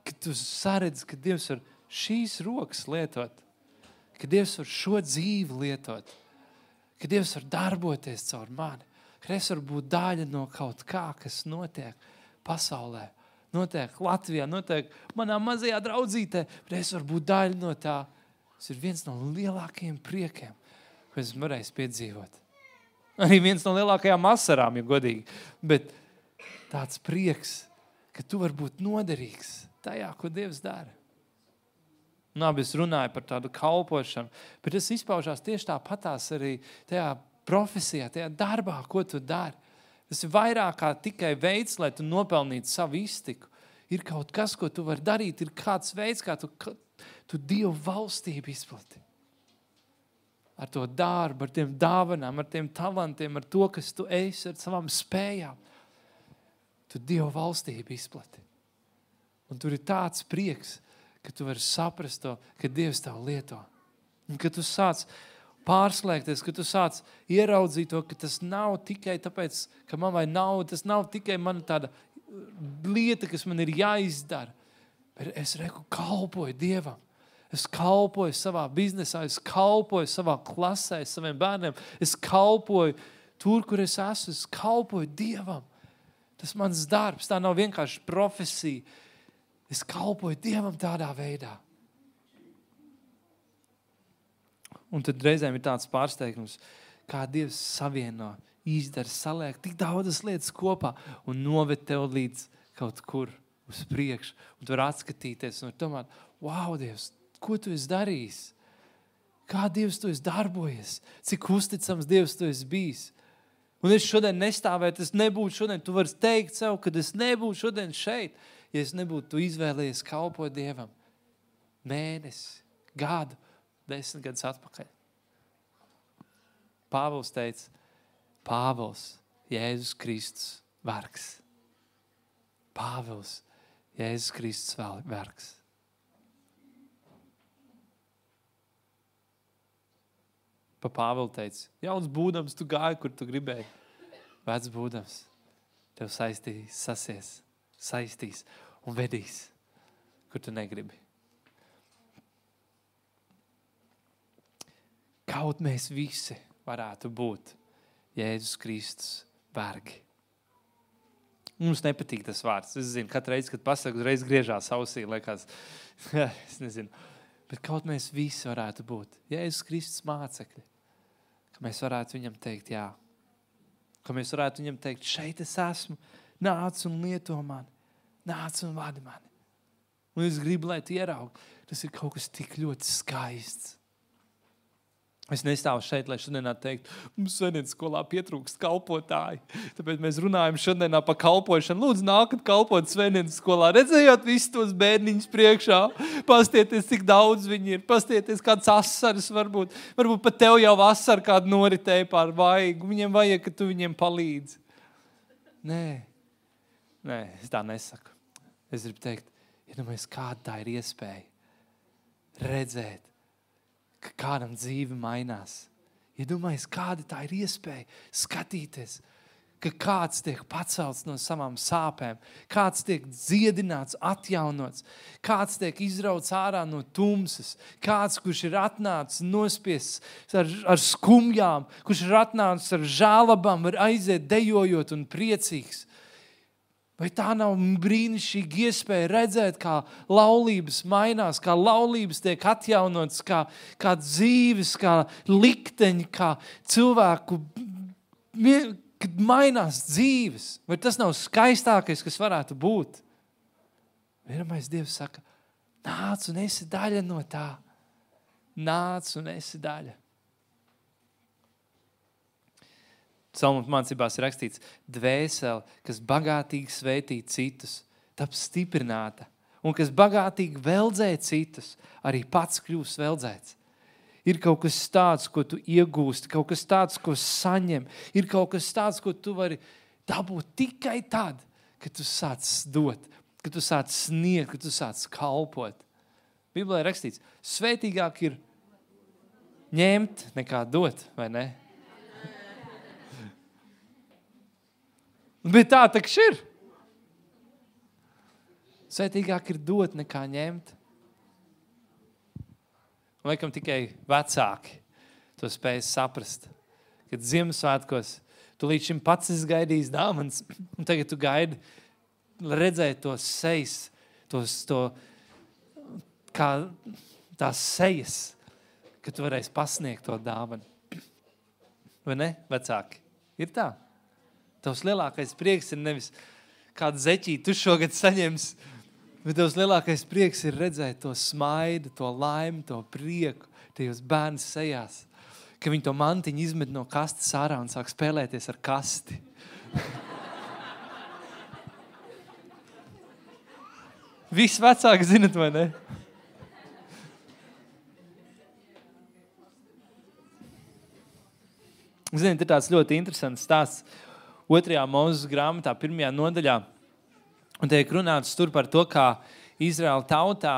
Speaker 1: Kad tu saredzi, ka Dievs var šīs rokas lietot, ka Dievs var šo dzīvi lietot, ka Dievs var darboties caur mani, ka es varu būt daļa no kaut kā, kas notiek pasaulē, notiek Latvijā, notiek manā mazajā draudzītē, bet es varu būt daļa no tā. Tas ir viens no lielākajiem priekiem, ko es varēju piedzīvot. Arī viens no lielākajām asarām, ja godīgi, bet tāds prieks, ka tu vari būt noderīgs tajā, ko Dievs dara. Nā, es runāju par tādu kalpošanu, bet tas izpaužās tieši tāpatās arī tajā profesijā, tajā darbā, ko tu dari. Tas ir vairāk kā tikai veids, lai tu nopelnītu savu iztiku. Ir kaut kas, ko tu vari darīt, ir kāds veids, kā tu, tu Dievu valstību izplati. Ar to darbu, ar tiem dāvanām, ar tiem talantiem, ar to, kas tu esi, ar savām spējām. Tu Dievu valstību izplati. Un tur ir tāds prieks, ka tu vari saprast to, ka Dievs tev lieto. Un ka tu sāc pārslēgties, ka tu sāc ieraudzīt to, ka tas nav tikai tāpēc, ka man vai nauda, tas nav tikai mana tāda lieta, kas man ir jāizdara. Bet es reku kalpoju Dievam. Es kalpoju savā biznesā, es kalpoju savā klasē, saviem bērniem. Es kalpoju tur, kur es esmu, es kalpoju Dievam. Tas mans darbs, tā nav vienkārši profesija. Es kalpoju Dievam tādā veidā. Un tad reizēm ir tāds pārsteigums, kā Dievs savieno, izdara, saliek tik daudzas lietas kopā un noved tev līdz kaut kur uz priekšu. Un tu var atskatīties un tomēr, wow, Dievs, ko tu esi darījis? Kā Dievs tu esi darbojies? Cik uzticams Dievs tu esi bijis? Un es šodien nestāvētu, es nebūtu šodien, tu vari teikt sev, kad es nebūtu šodien šeit, ja es nebūtu tu izvēlējies kalpot Dievam mēnesi, gadu, desmit gadus atpakaļ. Pāvils teica, Pāvils, Jēzus Kristus vergs. Pāvils, Jēzus Kristus vergs. Pa Pāvilu teica, jauns būdams, tu gāji, kur tu gribēji. Vecs būdams, tev saistīs, sasies, saistīs un vedīs, kur tu negribi. Kaut mēs visi varētu būt Jēzus Kristus vergi. Mums nepatīk tas vārds. Es zinu, katru reizi, kad pasaku, uzreiz griežās ausī, liekas, es nezinu. Bet kaut mēs visi varētu būt Jēzus Kristus mācekļi. Ka mēs varētu viņam teikt, jā. Ka mēs varētu viņam teikt, šeit es esmu, nāc un lieto mani, nāc un vadi mani. Un es gribu, lai tu ieraugi, tas ir kaut kas tik ļoti skaists. Es nestāvu šeit, lai šodienā teikt, mums svētdienas skolā pietrūkst kalpotāji. Tāpēc mēs runājam šodienā par kalpošanu. Lūdzu, nākat kalpot svētdienas skolā. Redzējot visus tos bērniņus priekšā. Pastieties, cik daudz viņi ir. Pastieties, kāds asaras varbūt. Varbūt pat tev jau asara kādu noritēja pār vaigu. Viņiem vajag, ka tu viņiem palīdzi. Nē, nē, es tā nesaku. Es gribu teikt, iedomājies, kāda tā ir iespēja redzēt, ka kādam dzīve mainās. Iedomājies, kāda tā ir iespēja skatīties, ka kāds tiek pacelts no savām sāpēm, kāds tiek dziedināts, atjaunots, kāds tiek izrauts ārā no tumsas, kāds, kurš ir atnācis nospiests ar, ar skumjām, kurš ir atnācis ar žēlabām, var aiziet dejojot un priecīgs. Vai tā nav brīnišķīga iespēja redzēt, kā laulības mainās, kā laulības tiek atjaunotas, kā, kā dzīves, kā likteņi, kā cilvēku, kad mainās dzīves. Vai tas nav skaistākais, kas varētu būt? Vienamais Dievs saka, nāc un esi daļa no tā. Nāc un esi daļa. Psalmu mācībās ir rakstīts, dvēsele, kas bagātīgi svētī citus, taps stiprināta, un kas bagātīgi veldzē citus, arī pats kļūs veldzēts. Ir kaut kas tāds, ko tu iegūsti, kaut kas tāds, ko saņem, ir kaut kas tāds, ko tu vari dabūt tikai tad, kad tu sāc dot, kad tu sāc sniegt, kad tu sāc kalpot. Bībelē ir rakstīts, svētīgāk ir ņemt nekā dot, vai ne? Bet tā takš ir. Svētīgāk ir dot nekā ņemt. Un laikam tikai vecāki to spēj saprast. Kad Ziemassvētkos tu līdz šim pats esi gaidījis dāvanas, un tagad tu gaidi redzēt tos sejas, tos, to, kā tās sejas, ka tu varēsi pasniegt to dāvanu. Vai ne, vecāki? Ir tā? Tavs lielākais prieks ir nevis kādu zeķīti tu šogad saņems, bet tavs lielākais prieks ir redzēt to smaidu, to laimi, to prieku tajos bērnu sejās, ka viņi to mantiņu izmet no kastes ārā un sāk spēlēties ar kasti. Visi vecāki zinat, vai ne? Ziniet, ir tāds ļoti interesants stāsts otrajā Mūzes grāmatā, pirmajā nodaļā. Un tiek runāts tur par to, kā Izraēla tautā,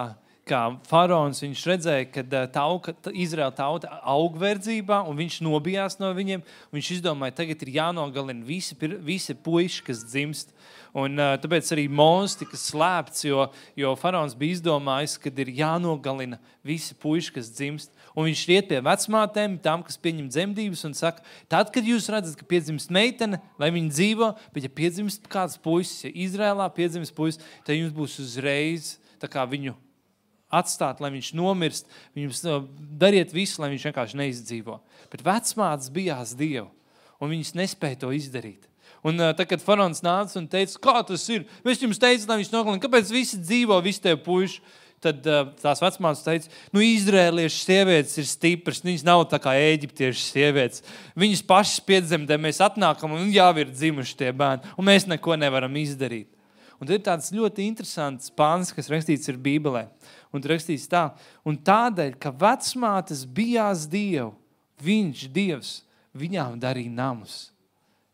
Speaker 1: kā faraons, viņš redzēja, ka tauka, Izraēla tauta aug verdzībā, un viņš nobijās no viņiem. Viņš izdomāja, tagad ir jānogalina visi, visi puiši, kas dzimst. Un uh, tāpēc arī Mūzes tika slēpts, jo, jo faraons bija izdomājis, ka ir jānogalina visi puiši, kas dzimst. Un viņš iet pie vecmātēm, tām, kas pieņem dzemdības, un saka, tad, kad jūs redzat, ka piedzimst meitene, lai viņa dzīvo, bet ja piedzimst kāds puisis, ja Izrēlā piedzimst puisis, tad jums būs uzreiz tā kā viņu atstāt, lai viņš nomirst, viņus dariet visu, lai viņš vienkārši neizdzīvo. Bet vecmātes bijās Dievu, un viņas nespēja to izdarīt. Un tad, kad faraons nāca un teica, kā tas ir? Mēs jums teicām, lai viņš nogalina, kāpēc visi dzīvo, visi tev puiši? Tad tās vecmātes teica, nu, izrēliešu sievietes ir stipras, viņas nav tā kā ēģiptiešu sievietes. Viņas pašas piedzemdē, mēs atnākam un jau ir dzimuši tie bērni, un mēs neko nevaram izdarīt. Un tad ir tāds ļoti interesants pāns, kas rakstīts ir Bībelē. Un tur rakstīts tā, un tādēļ, ka vecmātes bijās Dievu, viņš, Dievs, viņām darīja namus.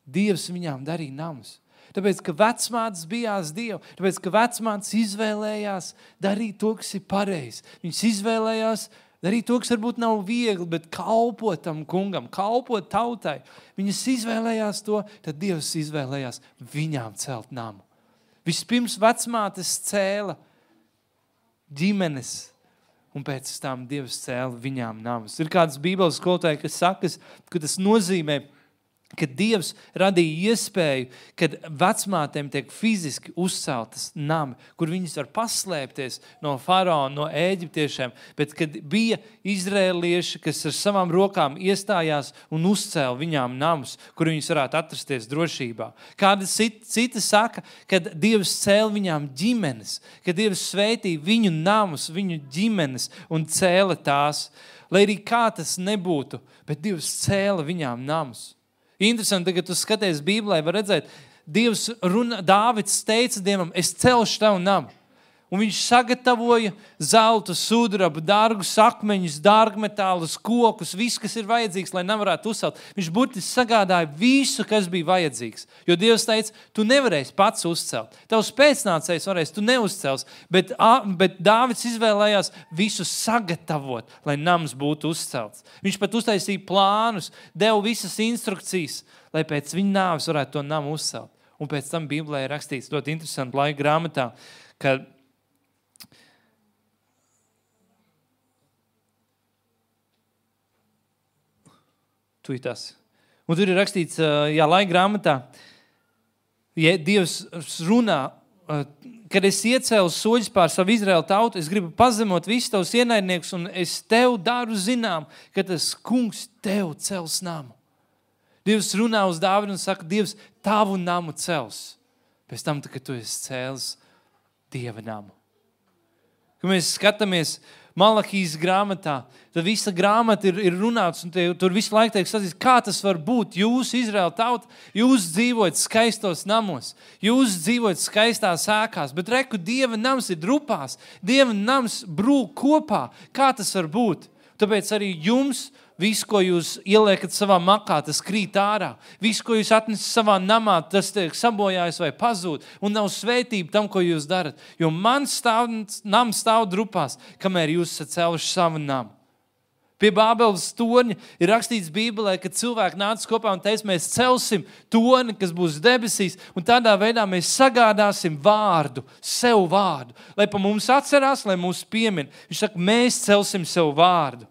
Speaker 1: Dievs viņām darīja namus. Tāpēc, ka vecmātes bijās Dievu, tāpēc, ka vecmātes izvēlējās darīt to, kas ir pareizi. Viņas izvēlējās darīt to, kas varbūt nav viegli, bet kalpot tam kungam, kalpot tautai. Viņas izvēlējās to, tad Dievs izvēlējās viņām celt namu. Vispirms vecmātes cēla ģimenes, un pēc tam Dievs cēla viņām namus. Ir kāds bībeles skolotāji, kas saka, ka tas nozīmē, ka Dievs radīja iespēju, kad vecmātēm tiek fiziski uzceltas nami, kur viņas var paslēpties no faraona, no ēģiptiešiem, bet kad bija izrēlieši, kas ar savām rokām iestājās un uzcēla viņām namus, kur viņas varētu atrasties drošībā. Kāda cita saka, kad Dievs cēla viņām ģimenes, kad Dievs svētīja viņu namus, viņu ģimenes un cēla tās, lai arī kā tas nebūtu, bet Dievs cēla viņām namus. Interesanti, kad tu skaties Bībelē, var redzēt, Dievs runa, Dāvids teica Dievam, es celšu tavu namu. Un viņš sagatavoja zeltu, sudrabu, dārgus akmeņus, dārgmetālus, kokus, visu, kas ir vajadzīgs, lai nevarētu uzcelt. Viņš burtiski sagādāja visu, kas bija vajadzīgs. Jo Dievs teica, tu nevarēsi pats uzcelt. Tavs pēcnācējs varēs, tu neuzcels. Bet, bet Dāvids izvēlējās visu sagatavot, lai nams būtu uzcelts. Viņš pat uztaisīja plānus, deva visas instrukcijas, lai pēc viņa nāves varētu to namu uzcelt. Un pēc tam Bībelē ir rakstīts ļoti interesanti laika grāmatā, ka Tuitās. Un tur ir rakstīts, jā, laika grāmatā, ja Dievs runā, kad es iecēlu soļus pār savu Izraēlu tautu, es gribu pazemot visus tavus ienaidniekus, un es tev daru zinām, ka tas kungs tev cels namu. Dievs runā uz Dāvidu un saka, Dievs tavu namu cels. Pēc tam, kad tu esi cēlis Dieva namu. Kad mēs skatāmies Malahijas grāmatā, tad visa grāmata ir, ir runāts, un te, tur visu laiku tiek sacīts, kā tas var būt. Jūs, Izraēla tauta, jūs dzīvojat skaistos namos, jūs dzīvojat skaistās ēkās, bet reku, Dieva nams ir drupās, Dieva nams brūk kopā. Kā tas var būt? Tāpēc arī jums, visu, ko jūs ieliekat savā makā, tas krīt ārā. Visu, ko jūs atnesat savā namā, tas tiek sabojājis vai pazūd. Un nav svētība tam, ko jūs darat. Jo man stāv, nams stāv drupās, kamēr jūs esat cēluši savu namu. Pie Bābeles torņa ir rakstīts Bībelē, ka cilvēki nāca kopā un teica, mēs celsim torni, kas būs debesīs, un tādā veidā mēs sagādāsim vārdu, sev vārdu. Lai pa mums atcerās, lai mūs piemin. Viņš saka, mēs celsim sev vārdu.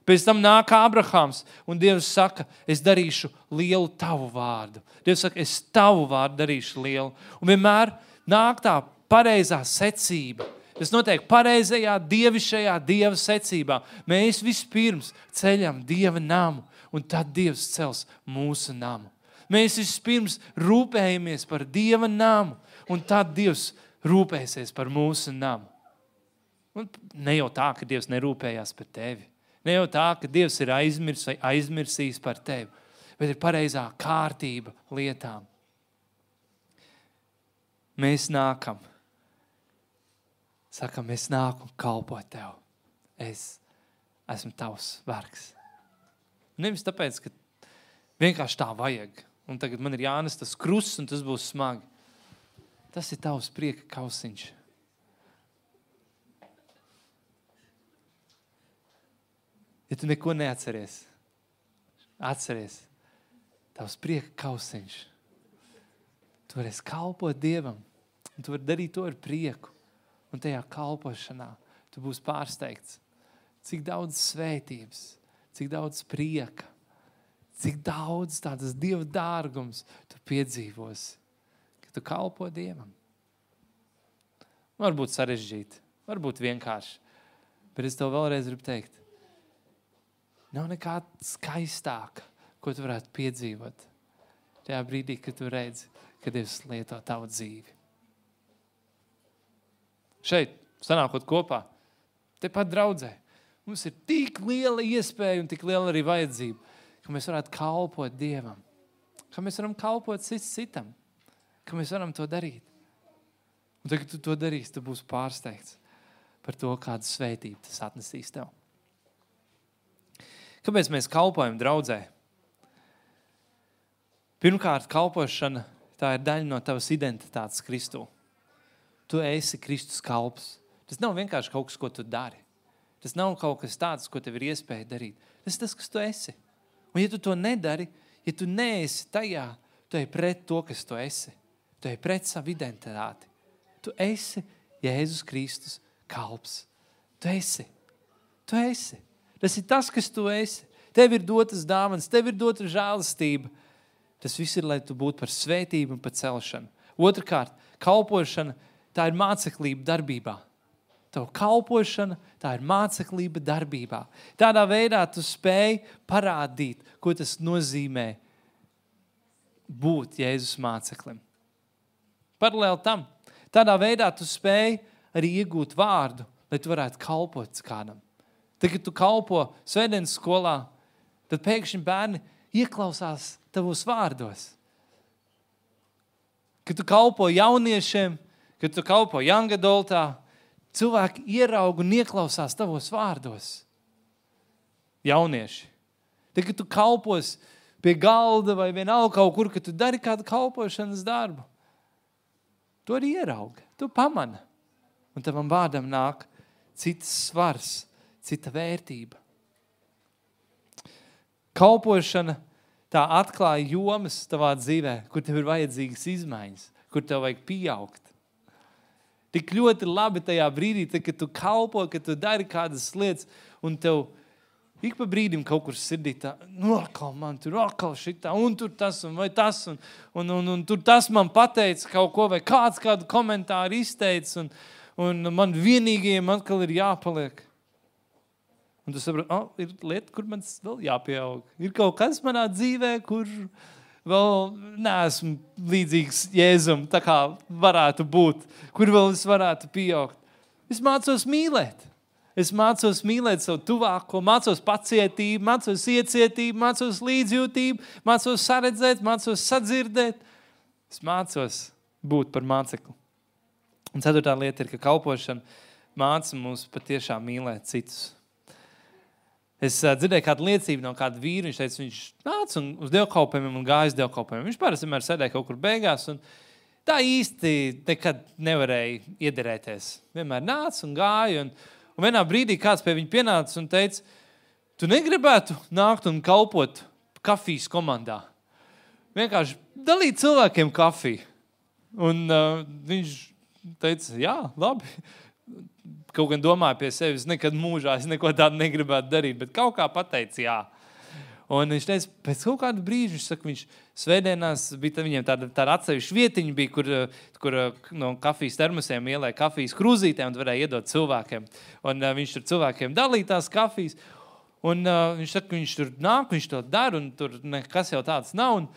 Speaker 1: Pēc tam nāk Abrahams, un Dievs saka, es darīšu lielu tavu vārdu. Dievs saka, es tavu vārdu darīšu lielu. Un vienmēr nāk tā pareizā secība. Tas notiek pareizajā, dievišķajā Dieva secībā. Mēs vispirms ceļam Dieva namu, un tad Dievs cels mūsu namu. Mēs vispirms rūpējamies par Dieva namu, un tad Dievs rūpēsies par mūsu namu. Un ne jau tā, ka Dievs nerūpējās par tevi. Ne jau tā, ka Dievs ir aizmirs vai aizmirsījis par tevi, bet ir pareizā kārtība lietām. mēs nākam. Sakam, es nāku un kalpoju tev. Es esmu tavs vergs. Nevis tāpēc, ka vienkārši tā vajag. Un tagad man ir jānes tas krusts, un tas būs smagi. Tas ir tavs prieka kausiņš. Ja tu neko neatceries, atceries, tavs prieka kausiņš. Tu varēsi kalpot Dievam, un tu vari darīt to ar prieku. Un tajā kalpošanā tu būsi pārsteigts. Cik daudz svētības, cik daudz prieka, cik daudz tādas Dieva dārgums tu piedzīvosi, ka tu kalpo Dievam. Varbūt sarežģīti, varbūt vienkārši, bet es tev vēlreiz gribu teikt, nav nekā skaistāka, ko tu varētu piedzīvot tajā brīdī, kad tu redzi, ka Dievs lieto tavu dzīvi. Šeit, sanākot kopā, tepat draudzē, mums ir tik liela iespēja un tik liela arī vajadzība, ka mēs varētu kalpot Dievam, ka mēs varam kalpot cits citam, ka mēs varam to darīt. Un tagad, kad tu to darīsi, tu būsi pārsteigts par to, kādu svētību tas atnesīs tev. Kāpēc mēs kalpojam draudzē? Pirmkārt, kalpošana, tā ir daļa no tavas identitātes Kristū. Tu esi Kristus kalps. Tas nav vienkārši kaut kas, ko tu dari. Tas nav kaut kas tāds, ko tev ir iespēja darīt. Tas ir tas, kas tu esi. Un ja tu to nedari, ja tu neesi tajā, tu ej pret to, kas tu esi. Tu ej pret savu identitāti. Tu esi Jēzus Kristus kalps. Tu esi. Tu esi. Tas ir tas, kas tu esi. Tev ir dotas dāvanas, tev ir dota žēlastība. Tas viss ir, lai tu būtu par svētību un par celšanu. Otrkārt, kalpošana, tā ir māceklība darbībā. Tavu kalpošana, tā ir māceklība darbībā. Tādā veidā tu spēj parādīt, ko tas nozīmē būt Jēzus māceklim. Paralēli tam, tādā veidā tu spēj arī iegūt vārdu, lai tu varētu kalpot kādam. Tad, kad tu kalpo svētdienas skolā, tad pēkšņi bērni ieklausās tavos vārdos. Kad tu kalpo jauniešiem, kad tu kalpo young adultā, cilvēki ieraug un ieklausās tavos vārdos. Jaunieši. Tad, kad tu kalpos pie galda vai vienalga kaut kur, kad tu dari kādu kalpošanas darbu, tu arī ieraugi, tu pamani. Un tavam vārdam nāk cits svars, cita vērtība. Kalpošana, tā atklāja jomas tavā dzīvē, kur tev ir vajadzīgas izmaiņas, kur tev vajag pieaugt. Tik ļoti labi tajā brīdī, tad, kad tu kalpo, kad tu dari kādas lietas, un tev ik pa brīdim kaut kur sirdī tā, nu, akal man tur, akal šitā, un tur tas, un vai tas, un, un, un, un tur tas man pateica kaut ko, vai kāds kādu komentāru izteica, un, un man vienīgajiem atkal ir jāpaliek. Un tu saproti, oh, ir lieta, kur man vēl jāpieaug. Ir kaut kas manā dzīvē, kur vēl neesmu līdzīgs Jēzum, tā kā varētu būt, kur vēl es varētu pieaugt. Es mācos mīlēt. Es mācos mīlēt savu tuvāko, mācos pacietību, mācos iecietību, mācos līdzjūtību, mācos saredzēt, mācos sadzirdēt. Es mācos būt par mācekli. Un ceturtā lieta ir, ka kalpošana māca mums patiešām mīlēt citus. Es uh, dzirdēju kādu liecību no kāda vīra, viņš teica, viņš nāca un uz dievkalpojumiem un gāja uz dievkalpojumiem. Viņš parasti vienmēr sēdēja kaut kur beigās un tā īsti nekad nevarēja iederēties. Vienmēr nāca un gāja un, un vienā brīdī kāds pie viņa pienāca un teica, tu negribētu nākt un kalpot kafijas komandā. Vienkārši dalīt cilvēkiem kafiju. Un uh, viņš teica, jā, labi. Kaut gan domāju pie sevis, nekad mūžā es neko tādu negribētu darīt, bet kaut kā pateica jā. Un viņš teica, pēc kaut kādu brīžu, viņš saka, viņš svētdienās bija viņiem tāda, tāda atsevišķa vietiņa bija, kur, kur no kafijas termosiem ielēja kafijas krūzītē un varēja iedot cilvēkiem. Un uh, viņš tur cilvēkiem dalīja tās kafijas. Un uh, viņš saka, viņš tur nāk, viņš to dara un tur nekas jau tāds nav. Un,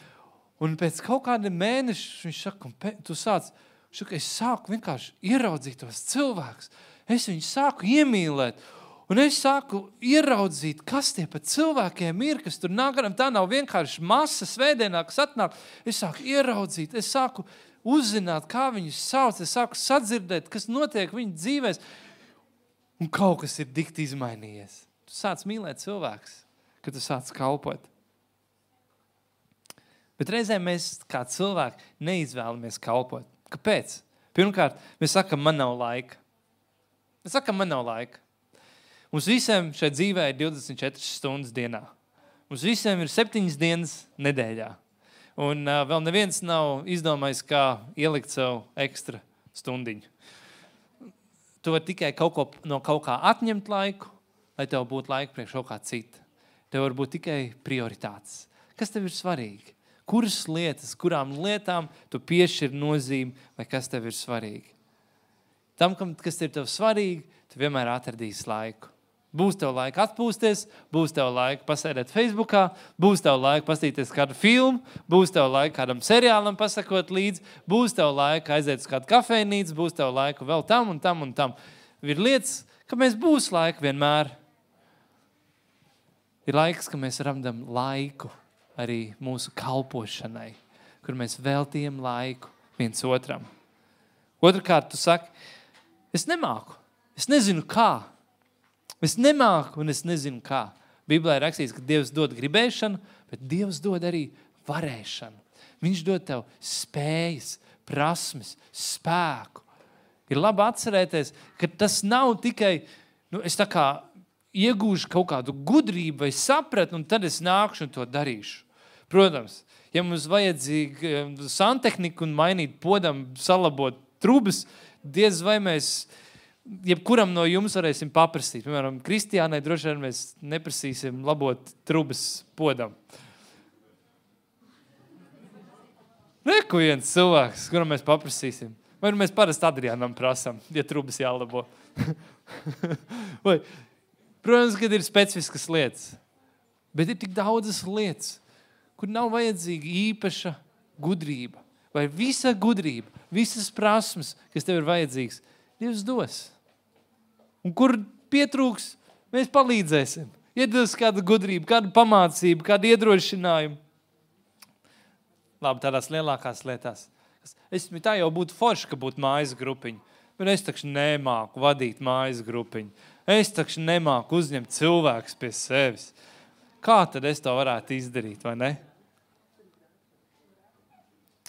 Speaker 1: un pēc kaut kāda mēneša viņš saka, un pe, tu sāc, viņš saka, es sāku vienkārši ieraudzīt tos cilvēkus. Es viņu sāku iemīlēt, un es sāku ieraudzīt, kas tie pat cilvēkiem ir, kas tur nāk, tā nav vienkārši masa svētdienā, kas atnāk. Es sāku ieraudzīt, es sāku uzzināt, kā viņus sauc, es sāku sadzirdēt, kas notiek viņu dzīvēs, un kaut kas ir dikti izmainījies. Tu sāc mīlēt cilvēkus, kad tu sāc kalpot. Bet reizēm mēs kā cilvēki neizvēlamies kalpot. Kāpēc? Pirmkārt, mēs sakam, man nav laika. Mēs sakam, man nav laika. Mums visiem šeit dzīvē ir divdesmit četras stundas dienā. Mums visiem ir septiņas dienas nedēļā. Un uh, vēl neviens nav izdomājis, kā ielikt savu ekstra stundiņu. Tu vari tikai kaut ko, no kaut kā atņemt laiku, lai tev būtu laika priekš kaut kā cita. Tev var būt tikai prioritātes. Kas tev ir svarīgi? Kuras lietas, kurām lietām tu piešķir nozīmi, vai kas tev ir svarīgi? Tam, kas ir tev svarīgi, tu vienmēr atradīsi laiku. Būs tev laika atpūsties, būs tev laika pasēdēt Facebookā, būs tev laika pastīties kādu filmu, būs tev laika kādam seriālam pasakot līdzi, būs tev laika aiziet uz kādu kafejnīcu, būs tev laika vēl tam un tam un tam. Ir lietas, ka mēs būs laika vienmēr. Ir laiks, ka mēs randam laiku arī mūsu kalpošanai, kur mēs veltījam laiku viens otram. Otrkārt, tu saki, es nemāku, es nezinu kā. Es nemāku un es nezinu kā. Bībelē ir rakstīts, ka Dievs dod gribēšanu, bet Dievs dod arī varēšanu. Viņš dod tev spējas, prasmes, spēku. Ir labi atcerēties, ka tas nav tikai, nu, es tā kā iegūšu kaut kādu gudrību vai sapratni, un tad es nākšu un to darīšu. Protams, ja mums vajadzīgi santehniku un mainīt podam, salabot trubas, diez vai mēs jebkuram no jums varēsim paprasīt. Piemēram, Kristiānai droši vien mēs neprasīsim labot trubas podam. Reku viens cilvēks, kuram mēs paprasīsim. Vai mēs parasti Adriānam prasam, ja trubas jālabo. Vai, protams, kad ir specifiskas lietas, bet ir tik daudzas lietas, kur nav vajadzīga īpaša gudrība. Vai visa gudrība, visas prasmes, kas tev ir vajadzīgs, Dievs dos. Un kur pietrūks, mēs palīdzēsim. Iedos kādu gudrību, kādu pamācību, kādu iedrošinājumu. Labi, tādās lielākās lietās. Es tā jau būtu forši, ka būtu mājas grupiņa. Bet es taču nemāku vadīt mājas grupiņu. Es taču nemāku uzņemt cilvēkus pie sevis. Kā tad es to varētu izdarīt, vai ne?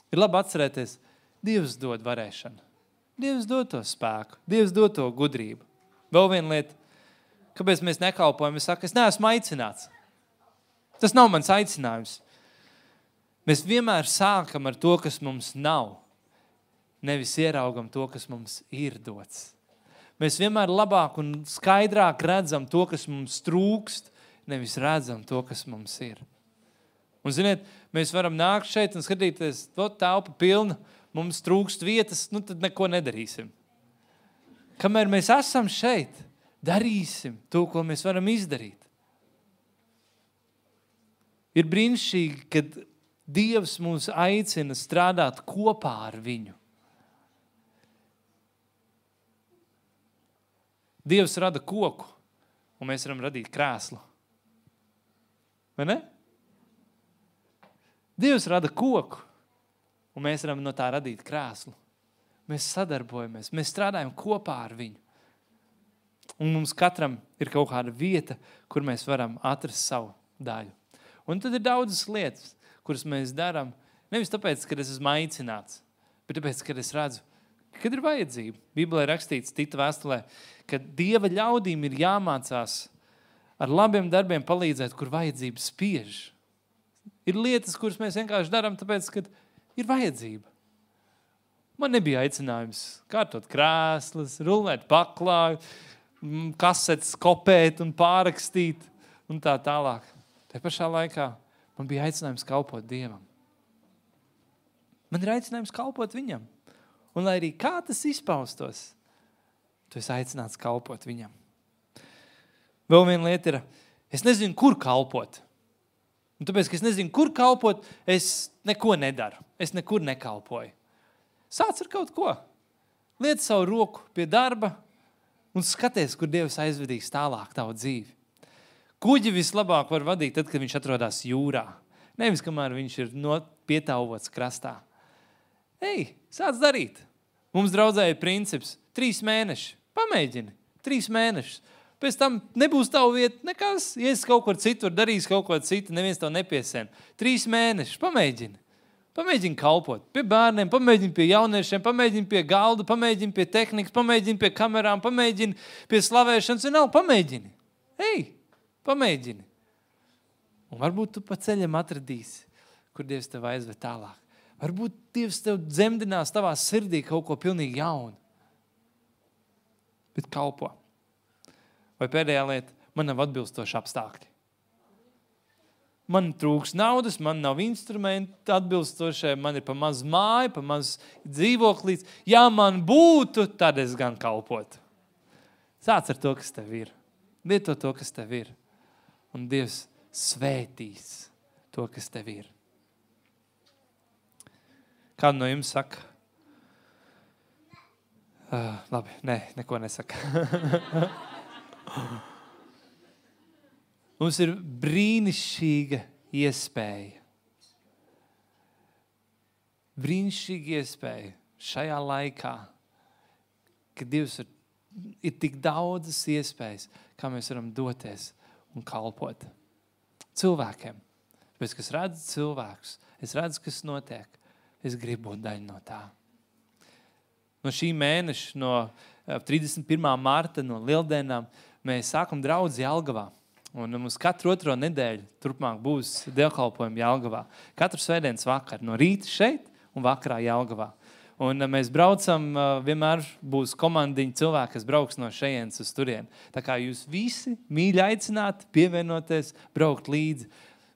Speaker 1: Ir labi atcerēties, Dievs dod varēšanu. Dievs dod to spēku, Dievs dod to gudrību. Vēl viena lieta, kāpēc mēs nekalpojam, es saku, es neesmu aicināts. Tas nav mans aicinājums. Mēs vienmēr sākam ar to, kas mums nav, nevis ieraugam to, kas mums ir dots. Mēs vienmēr labāk un skaidrāk redzam to, kas mums trūkst, nevis redzam to, kas mums ir. Un, ziniet, mēs varam nākt šeit un skatīties, to telpa pilna, mums trūkst vietas, nu tad neko nedarīsim. Kamēr mēs esam šeit, darīsim to, ko mēs varam izdarīt. Ir brīnišķīgi, kad Dievs mūs aicina strādāt kopā ar viņu. Dievs rada koku, un mēs varam radīt krēslu. Vai ne? Dievs rada koku, un mēs varam no tā radīt krēslu. Mēs sadarbojamies, mēs strādājam kopā ar viņu. Un mums katram ir kaut kāda vieta, kur mēs varam atrast savu daļu. Un tad ir daudzas lietas, kuras mēs darām, nevis tāpēc, ka es esmu aicināts, bet tāpēc, ka es redzu, kad ir vajadzība. Bībelē rakstīts Tita vēstulē, ka Dieva ļaudīm ir jāmācās ar labiem darbiem palīdzēt, kur vajadzība spiež. Ir lietas, kuras mēs vienkārši darām, tāpēc, ka ir vajadzība. Man nebija aicinājums kārtot krēslas, rulēt paklāju, kasetes kopēt un pārrakstīt un tā tālāk. Te pašā laikā man bija aicinājums kalpot Dievam. Man ir aicinājums kalpot viņam. Un lai arī kā tas izpaustos, tu esi aicināts kalpot viņam. Vēl viena lieta ir, es nezinu, kur kalpot. Un tāpēc, ka es nezinu, kur kalpot, es neko nedaru. Es nekur nekalpoju. Sāc ar kaut ko. Liec savu roku pie darba un skaties, kur Dievs aizvedīs tālāk tavu dzīvi. Kuģi vislabāk var vadīt tad, kad viņš atrodas jūrā. Nevis, kamēr viņš ir no pietauvots krastā. Ej, sāc darīt. Mums draudzē ir princips. Trīs mēneši. Pamēģini. Trīs mēnešus. Pēc tam nebūs tavu vieta nekas. Ies kaut kur citur, darīs kaut ko citu, neviens tev nepiesien. Trīs mēnešus. Pamēģini. Pamēģini kalpot pie bērniem, pamēģini pie jauniešiem, pamēģini pie galda, pamēģini pie tehnikas, pamēģini pie kamerām, pamēģini pie slavēšanas. Un nav, pamēģini. Ej, pamēģini. Un varbūt tu pa ceļam atradīsi, kur Dievs tev aizved tālāk. Varbūt Dievs tev dzemdinās tavā sirdī kaut ko pilnīgi jaunu. Bet kalpo. Vai pēdējā lieta, man nav atbilstoši apstākļi. Man trūks naudas, man nav instrumenti atbilstošie, man ir pa maz māja, pa maz dzīvoklīts. Ja man būtu, tad es gan kalpotu. Sāc ar to, kas tev ir. Lieto to, kas tev ir. Un Dievs svētīs to, kas tev ir. Kādu no jums saka? Uh, labi, nē, neko nesaka. Mums ir brīnišķīga iespēja. Brīnišķīga iespēja šajā laikā, kad Dievs ir, ir tik daudzas iespējas, kā mēs varam doties un kalpot cilvēkiem. Tāpēc, kas redz cilvēkus, es redzu, kas notiek, es gribu būt daļa no tā. No šī mēneša, no trīsdesmit pirmā marta, no Lieldienām, mēs sākam draudzi Jelgavā. Un mums katru otro nedēļu turpmāk būs dievkalpojumi Jelgavā. Katru svētdienas vakaru, no rīta šeit un vakarā Jelgavā. Un mēs braucam, vienmēr būs komandiņa cilvēki, kas brauks no šejienes uz turieni. Tā kā jūs visi mīļi aicināti pievienoties, braukt līdzi.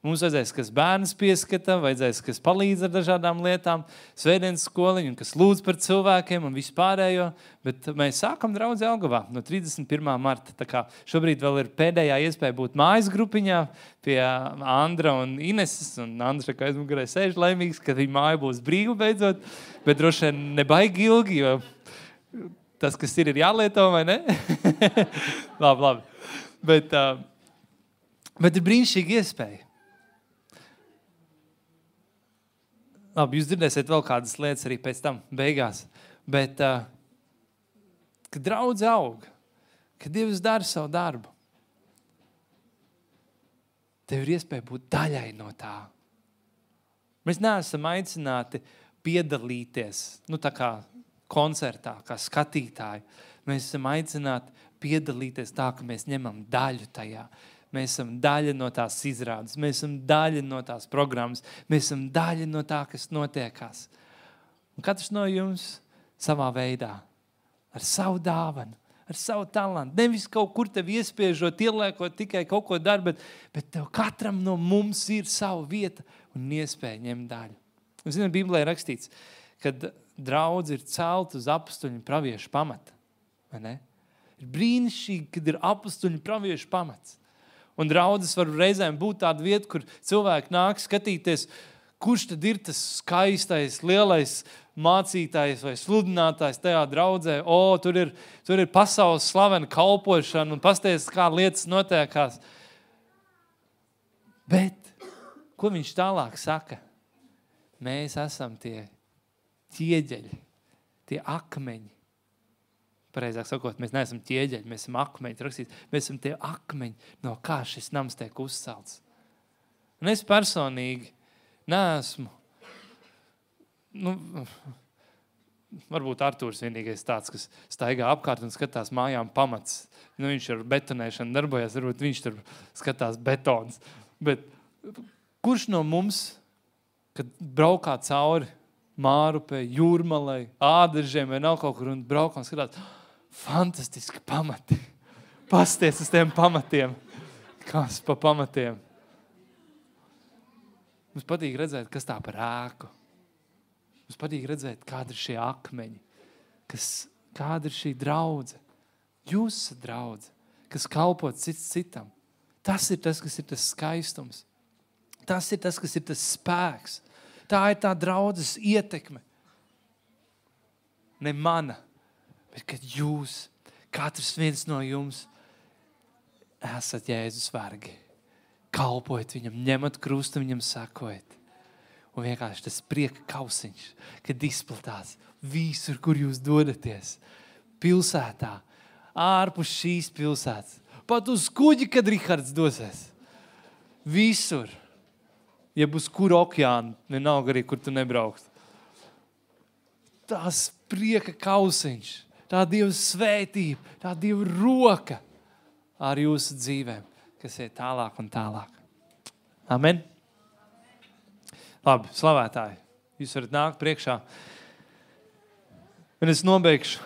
Speaker 1: Mums vajadzēs, kas bērns pieskata, vajadzēs, kas palīdz ar dažādām lietām, svētdienas skoliņu, kas lūdz par cilvēkiem un vispārējo, bet mēs sākam draudzi Jelgavā no trīsdesmit pirmā marta. Tā kā šobrīd vēl ir pēdējā iespēja būt mājas grupiņā pie Andra un Ineses, un Andra, kā aizmugurē sēž laimīgs, ka viņa māja būs brīva beidzot, bet droši vien nebaigi ilgi, jo tas, kas ir, ir jālieto, vai ne? labi, labi. Bet, uh, bet ir brīnišķīga iespēja. Labi, jūs dzirdēsiet vēl kādas lietas arī pēc tam, beigās. Bet, uh, kad draudze aug, kad Dievs dara savu darbu, tev ir iespēja būt daļai no tā. Mēs neesam aicināti piedalīties, nu tā kā koncertā, kā skatītāji. Mēs esam aicināti piedalīties tā, ka mēs ņemam daļu tajā. Mēs esam daļa no tās izrādes, mēs esam daļa no tās programmas, mēs esam daļa no tā, kas notiekās. Un katrs no jums savā veidā, ar savu dāvanu, ar savu talantu, nevis kaut kur tev iespiežot, ieliekot tikai kaut ko dar, bet, bet tev katram no mums ir sava vieta un iespēja ņemt daļu. Un, zināt, Bībelē ir rakstīts, kad draudze ir celt uz apustuļu praviešu pamata. Vai ne? Ir brīnišķīgi, kad ir apustuļu praviešu pamats. Un draudzes var reizēm būt tāda vieta, kur cilvēki nāk skatīties, kurš tad ir tas skaistais, lielais mācītājs vai sludinātājs tajā draudzē. O, tur ir, tur ir pasaules slavena kalpošana un pasties, kā lietas notiekās. Bet, ko viņš tālāk saka? Mēs esam tie ķieģeļi, tie akmeņi. Pareizāk sakot, mēs neesam ķieģeļi, mēs esam akmeņi. Rakstīt, mēs esam tie akmeņi, no kā šis nams tiek uzcelts. Un es personīgi neesmu, nu, varbūt Artūrs vienīgais tāds, kas staigā apkārt un skatās mājām pamats. Nu, viņš ar betonēšanu darbojas, varbūt viņš tur skatās betons. Bet kurš no mums, kad braukā cauri Mārupē, Jūrmalai, Ādaržiem vai nav kaut kur un braukā un skatās, fantastiski pamati. Pasties uz tiem pamatiem. Kas pa pamatiem? Mums patīk redzēt, kas tā par ēku. Mums patīk redzēt, kāda ir šie akmeņi. Kas, kāda ir šī draudze. Jūs esat draudze, kas kalpot cits citam. Tas ir tas, kas ir tas skaistums. Tas ir tas, kas ir tas spēks. Tā ir tā draudzes ietekme. Ne mana, bet kad jūs, katrs viens no jums, esat Jēzus vergi. Kalpojiet viņam, ņemat krustu, viņam sakojat. Un vienkārši tas prieka kausiņš, kad izplatās visur, kur jūs dodaties. Pilsētā, ārpus šīs pilsētas. Pat uz kuģi, kad Rihards dosies. Visur. Ja būs kur okeāna, vienalga arī, kur tu nebraukst. Tās prieka kausiņš, tā Dieva svētība, tā Dieva roka ar jūsu dzīvēm, kas ir tālāk un tālāk. Amen. Labi, slavētāji, jūs varat nākt priekšā. Un es nobeigšu.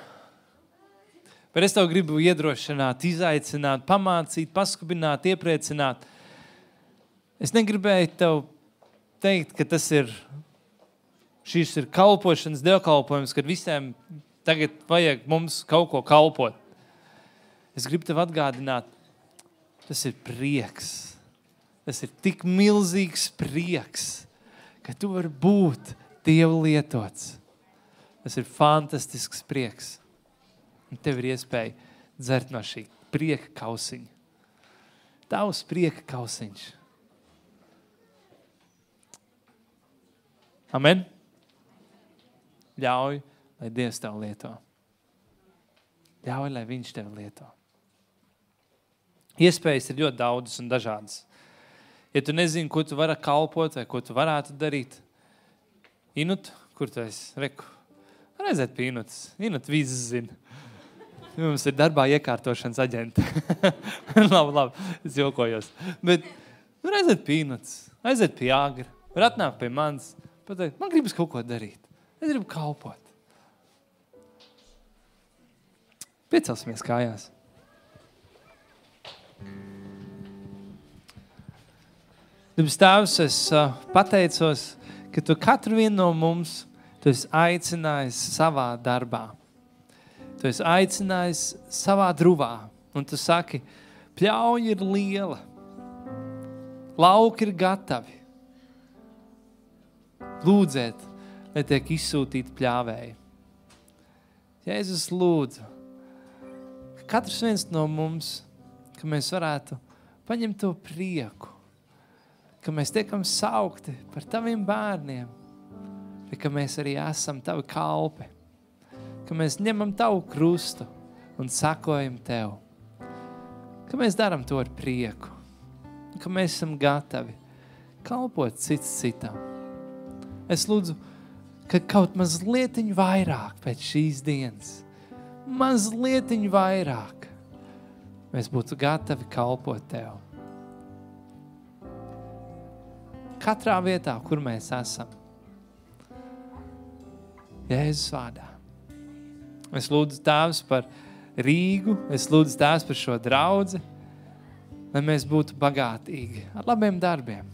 Speaker 1: Bet es tev gribu iedrošināt, izaicināt, pamācīt, paskubināt, iepriecināt. Es negribēju tev teikt, ka tas ir, šis ir kalpošanas, dievkalpojums, kad visiem tagad vajag mums kaut ko kalpot. Es gribu tev atgādināt, tas ir prieks. Tas ir tik milzīgs prieks, ka tu vari būt Dieva lietots. Tas ir fantastisks prieks. Un tev ir iespēja dzert no šī prieka kausiņa. Tavs prieka kausiņš. Amen. Ļauj, lai Dievs tev lieto. Ļauj, lai viņš tev lieto. Iespējas ir ļoti daudzas un dažādas. Ja tu nezini, ko tu vari kalpot vai ko tu varētu darīt, Inut, kur tu esi? Reku. Reizēt pie Inutas. Inut visas zina. Mums ir darbā iekārtošanas aģenti. labi, labi, es jokojos. Bet reizēt pie Inutas, aiziet pie Agra, var atnākt pie manis, pateikt, man gribas kaut ko darīt. Es gribu kalpot. Piecelsimies kājās. Debes Tēvs, es uh, pateicos, ka tu katru vienu no mums tu esi aicinājis savā darbā. Tu esi aicinājis savā druvā. Un tu saki, pļauja ir liela. Lauki ir gatavi. Lūdziet, lai tiek izsūtīti pļāvēji. Jēzus lūdzu, ka katrs viens no mums, ka mēs varētu paņemt to prieku, ka mēs tiekam saukti par taviem bērniem, bet ka mēs arī esam tavi kalpi, ka mēs ņemam tavu krustu un sakojam tev, ka mēs daram to ar prieku, ka mēs esam gatavi kalpot cits citam. Es lūdzu, ka kaut mazlietiņ vairāk pēc šīs dienas, mazlietiņ vairāk mēs būtu gatavi kalpot tev. Katrā vietā, kur mēs esam. Jēzus vārdā. Es lūdzu Tēvs par Rīgu, es lūdzu Tēvs par šo draudzi, lai mēs būtu bagātīgi ar labiem darbiem.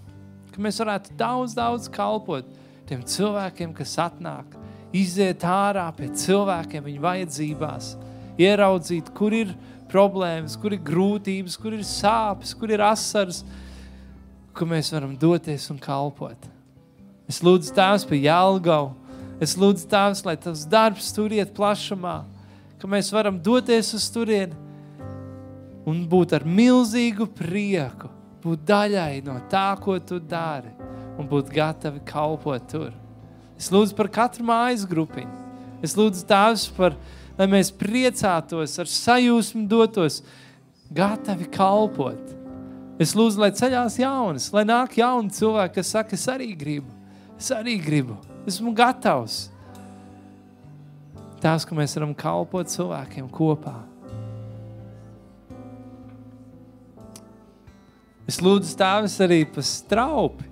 Speaker 1: Ka mēs varētu daudz, daudz kalpot tiem cilvēkiem, kas atnāk, iziet ārā pie cilvēkiem viņu vajadzībās, ieraudzīt, kur ir problēmas, kur ir grūtības, kur ir sāpes, kur ir asaras, ka mēs varam doties un kalpot. Es lūdzu Tēvs par Jelgavu. Es lūdzu Tēvs, lai tavs darbs tur iet plašumā, ka mēs varam doties uz turieni un būt ar milzīgu prieku, būt daļai no tā, ko tu dari un būt gatavi kalpot tur. Es lūdzu par katru mājas grupiņu. Es lūdzu Tēvs par, lai mēs priecātos, ar sajūsmu dotos, gatavi kalpot. Es lūdzu, lai ceļās jaunas, lai nāk jauni cilvēki, kas saka, es arī gribu, es arī gribu, esmu gatavs. Tās, ka mēs varam kalpot cilvēkiem kopā. Es lūdzu Tēvs arī par Straupi,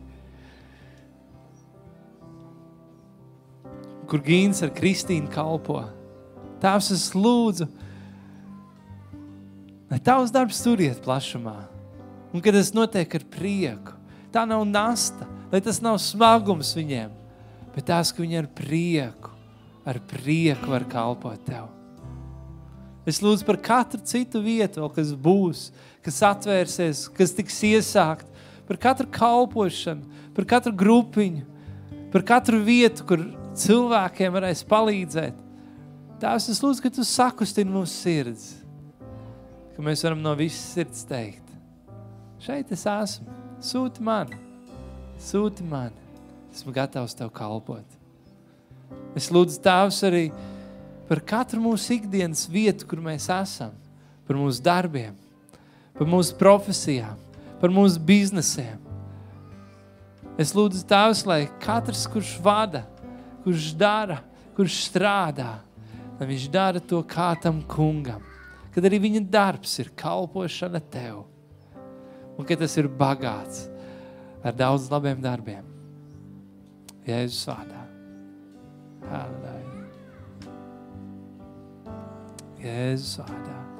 Speaker 1: kur Gīns ar Kristīnu kalpo. Tēvs, es lūdzu, lai tavs darbs tur iet plašumā. Un kad tas notiek ar prieku, tā nav nasta, lai tas nav smagums viņiem, bet tās, ka viņi ar prieku, ar prieku var kalpot tev. Es lūdzu par katru citu vietu, kas būs, kas atvērsies, kas tiks iesākt, par katru kalpošanu, par katru grupiņu, par katru vietu, kur cilvēkiem varēs palīdzēt. Tēvs, es lūdzu, ka tu sakustini mūsu sirds, ka mēs varam no visas sirds teikt. Šeit es esmu. Sūti mani. Sūti mani. Esmu gatavs Tev kalpot. Es lūdzu, Tēvs, arī par katru mūsu ikdienas vietu, kur mēs esam, par mūsu darbiem, par mūsu profesijām, par mūsu biznesiem. Es lūdzu, Tēvs, lai katrs, kurš vada, kurš dara, kurš strādā, lai viņš dara to kā tam kungam, kad arī viņa darbs ir kalpošana Tev, un ka tas ir bagāts ar daudz labiem darbiem. Jēzus vārdā. Halleluja. Jēzus vārdā.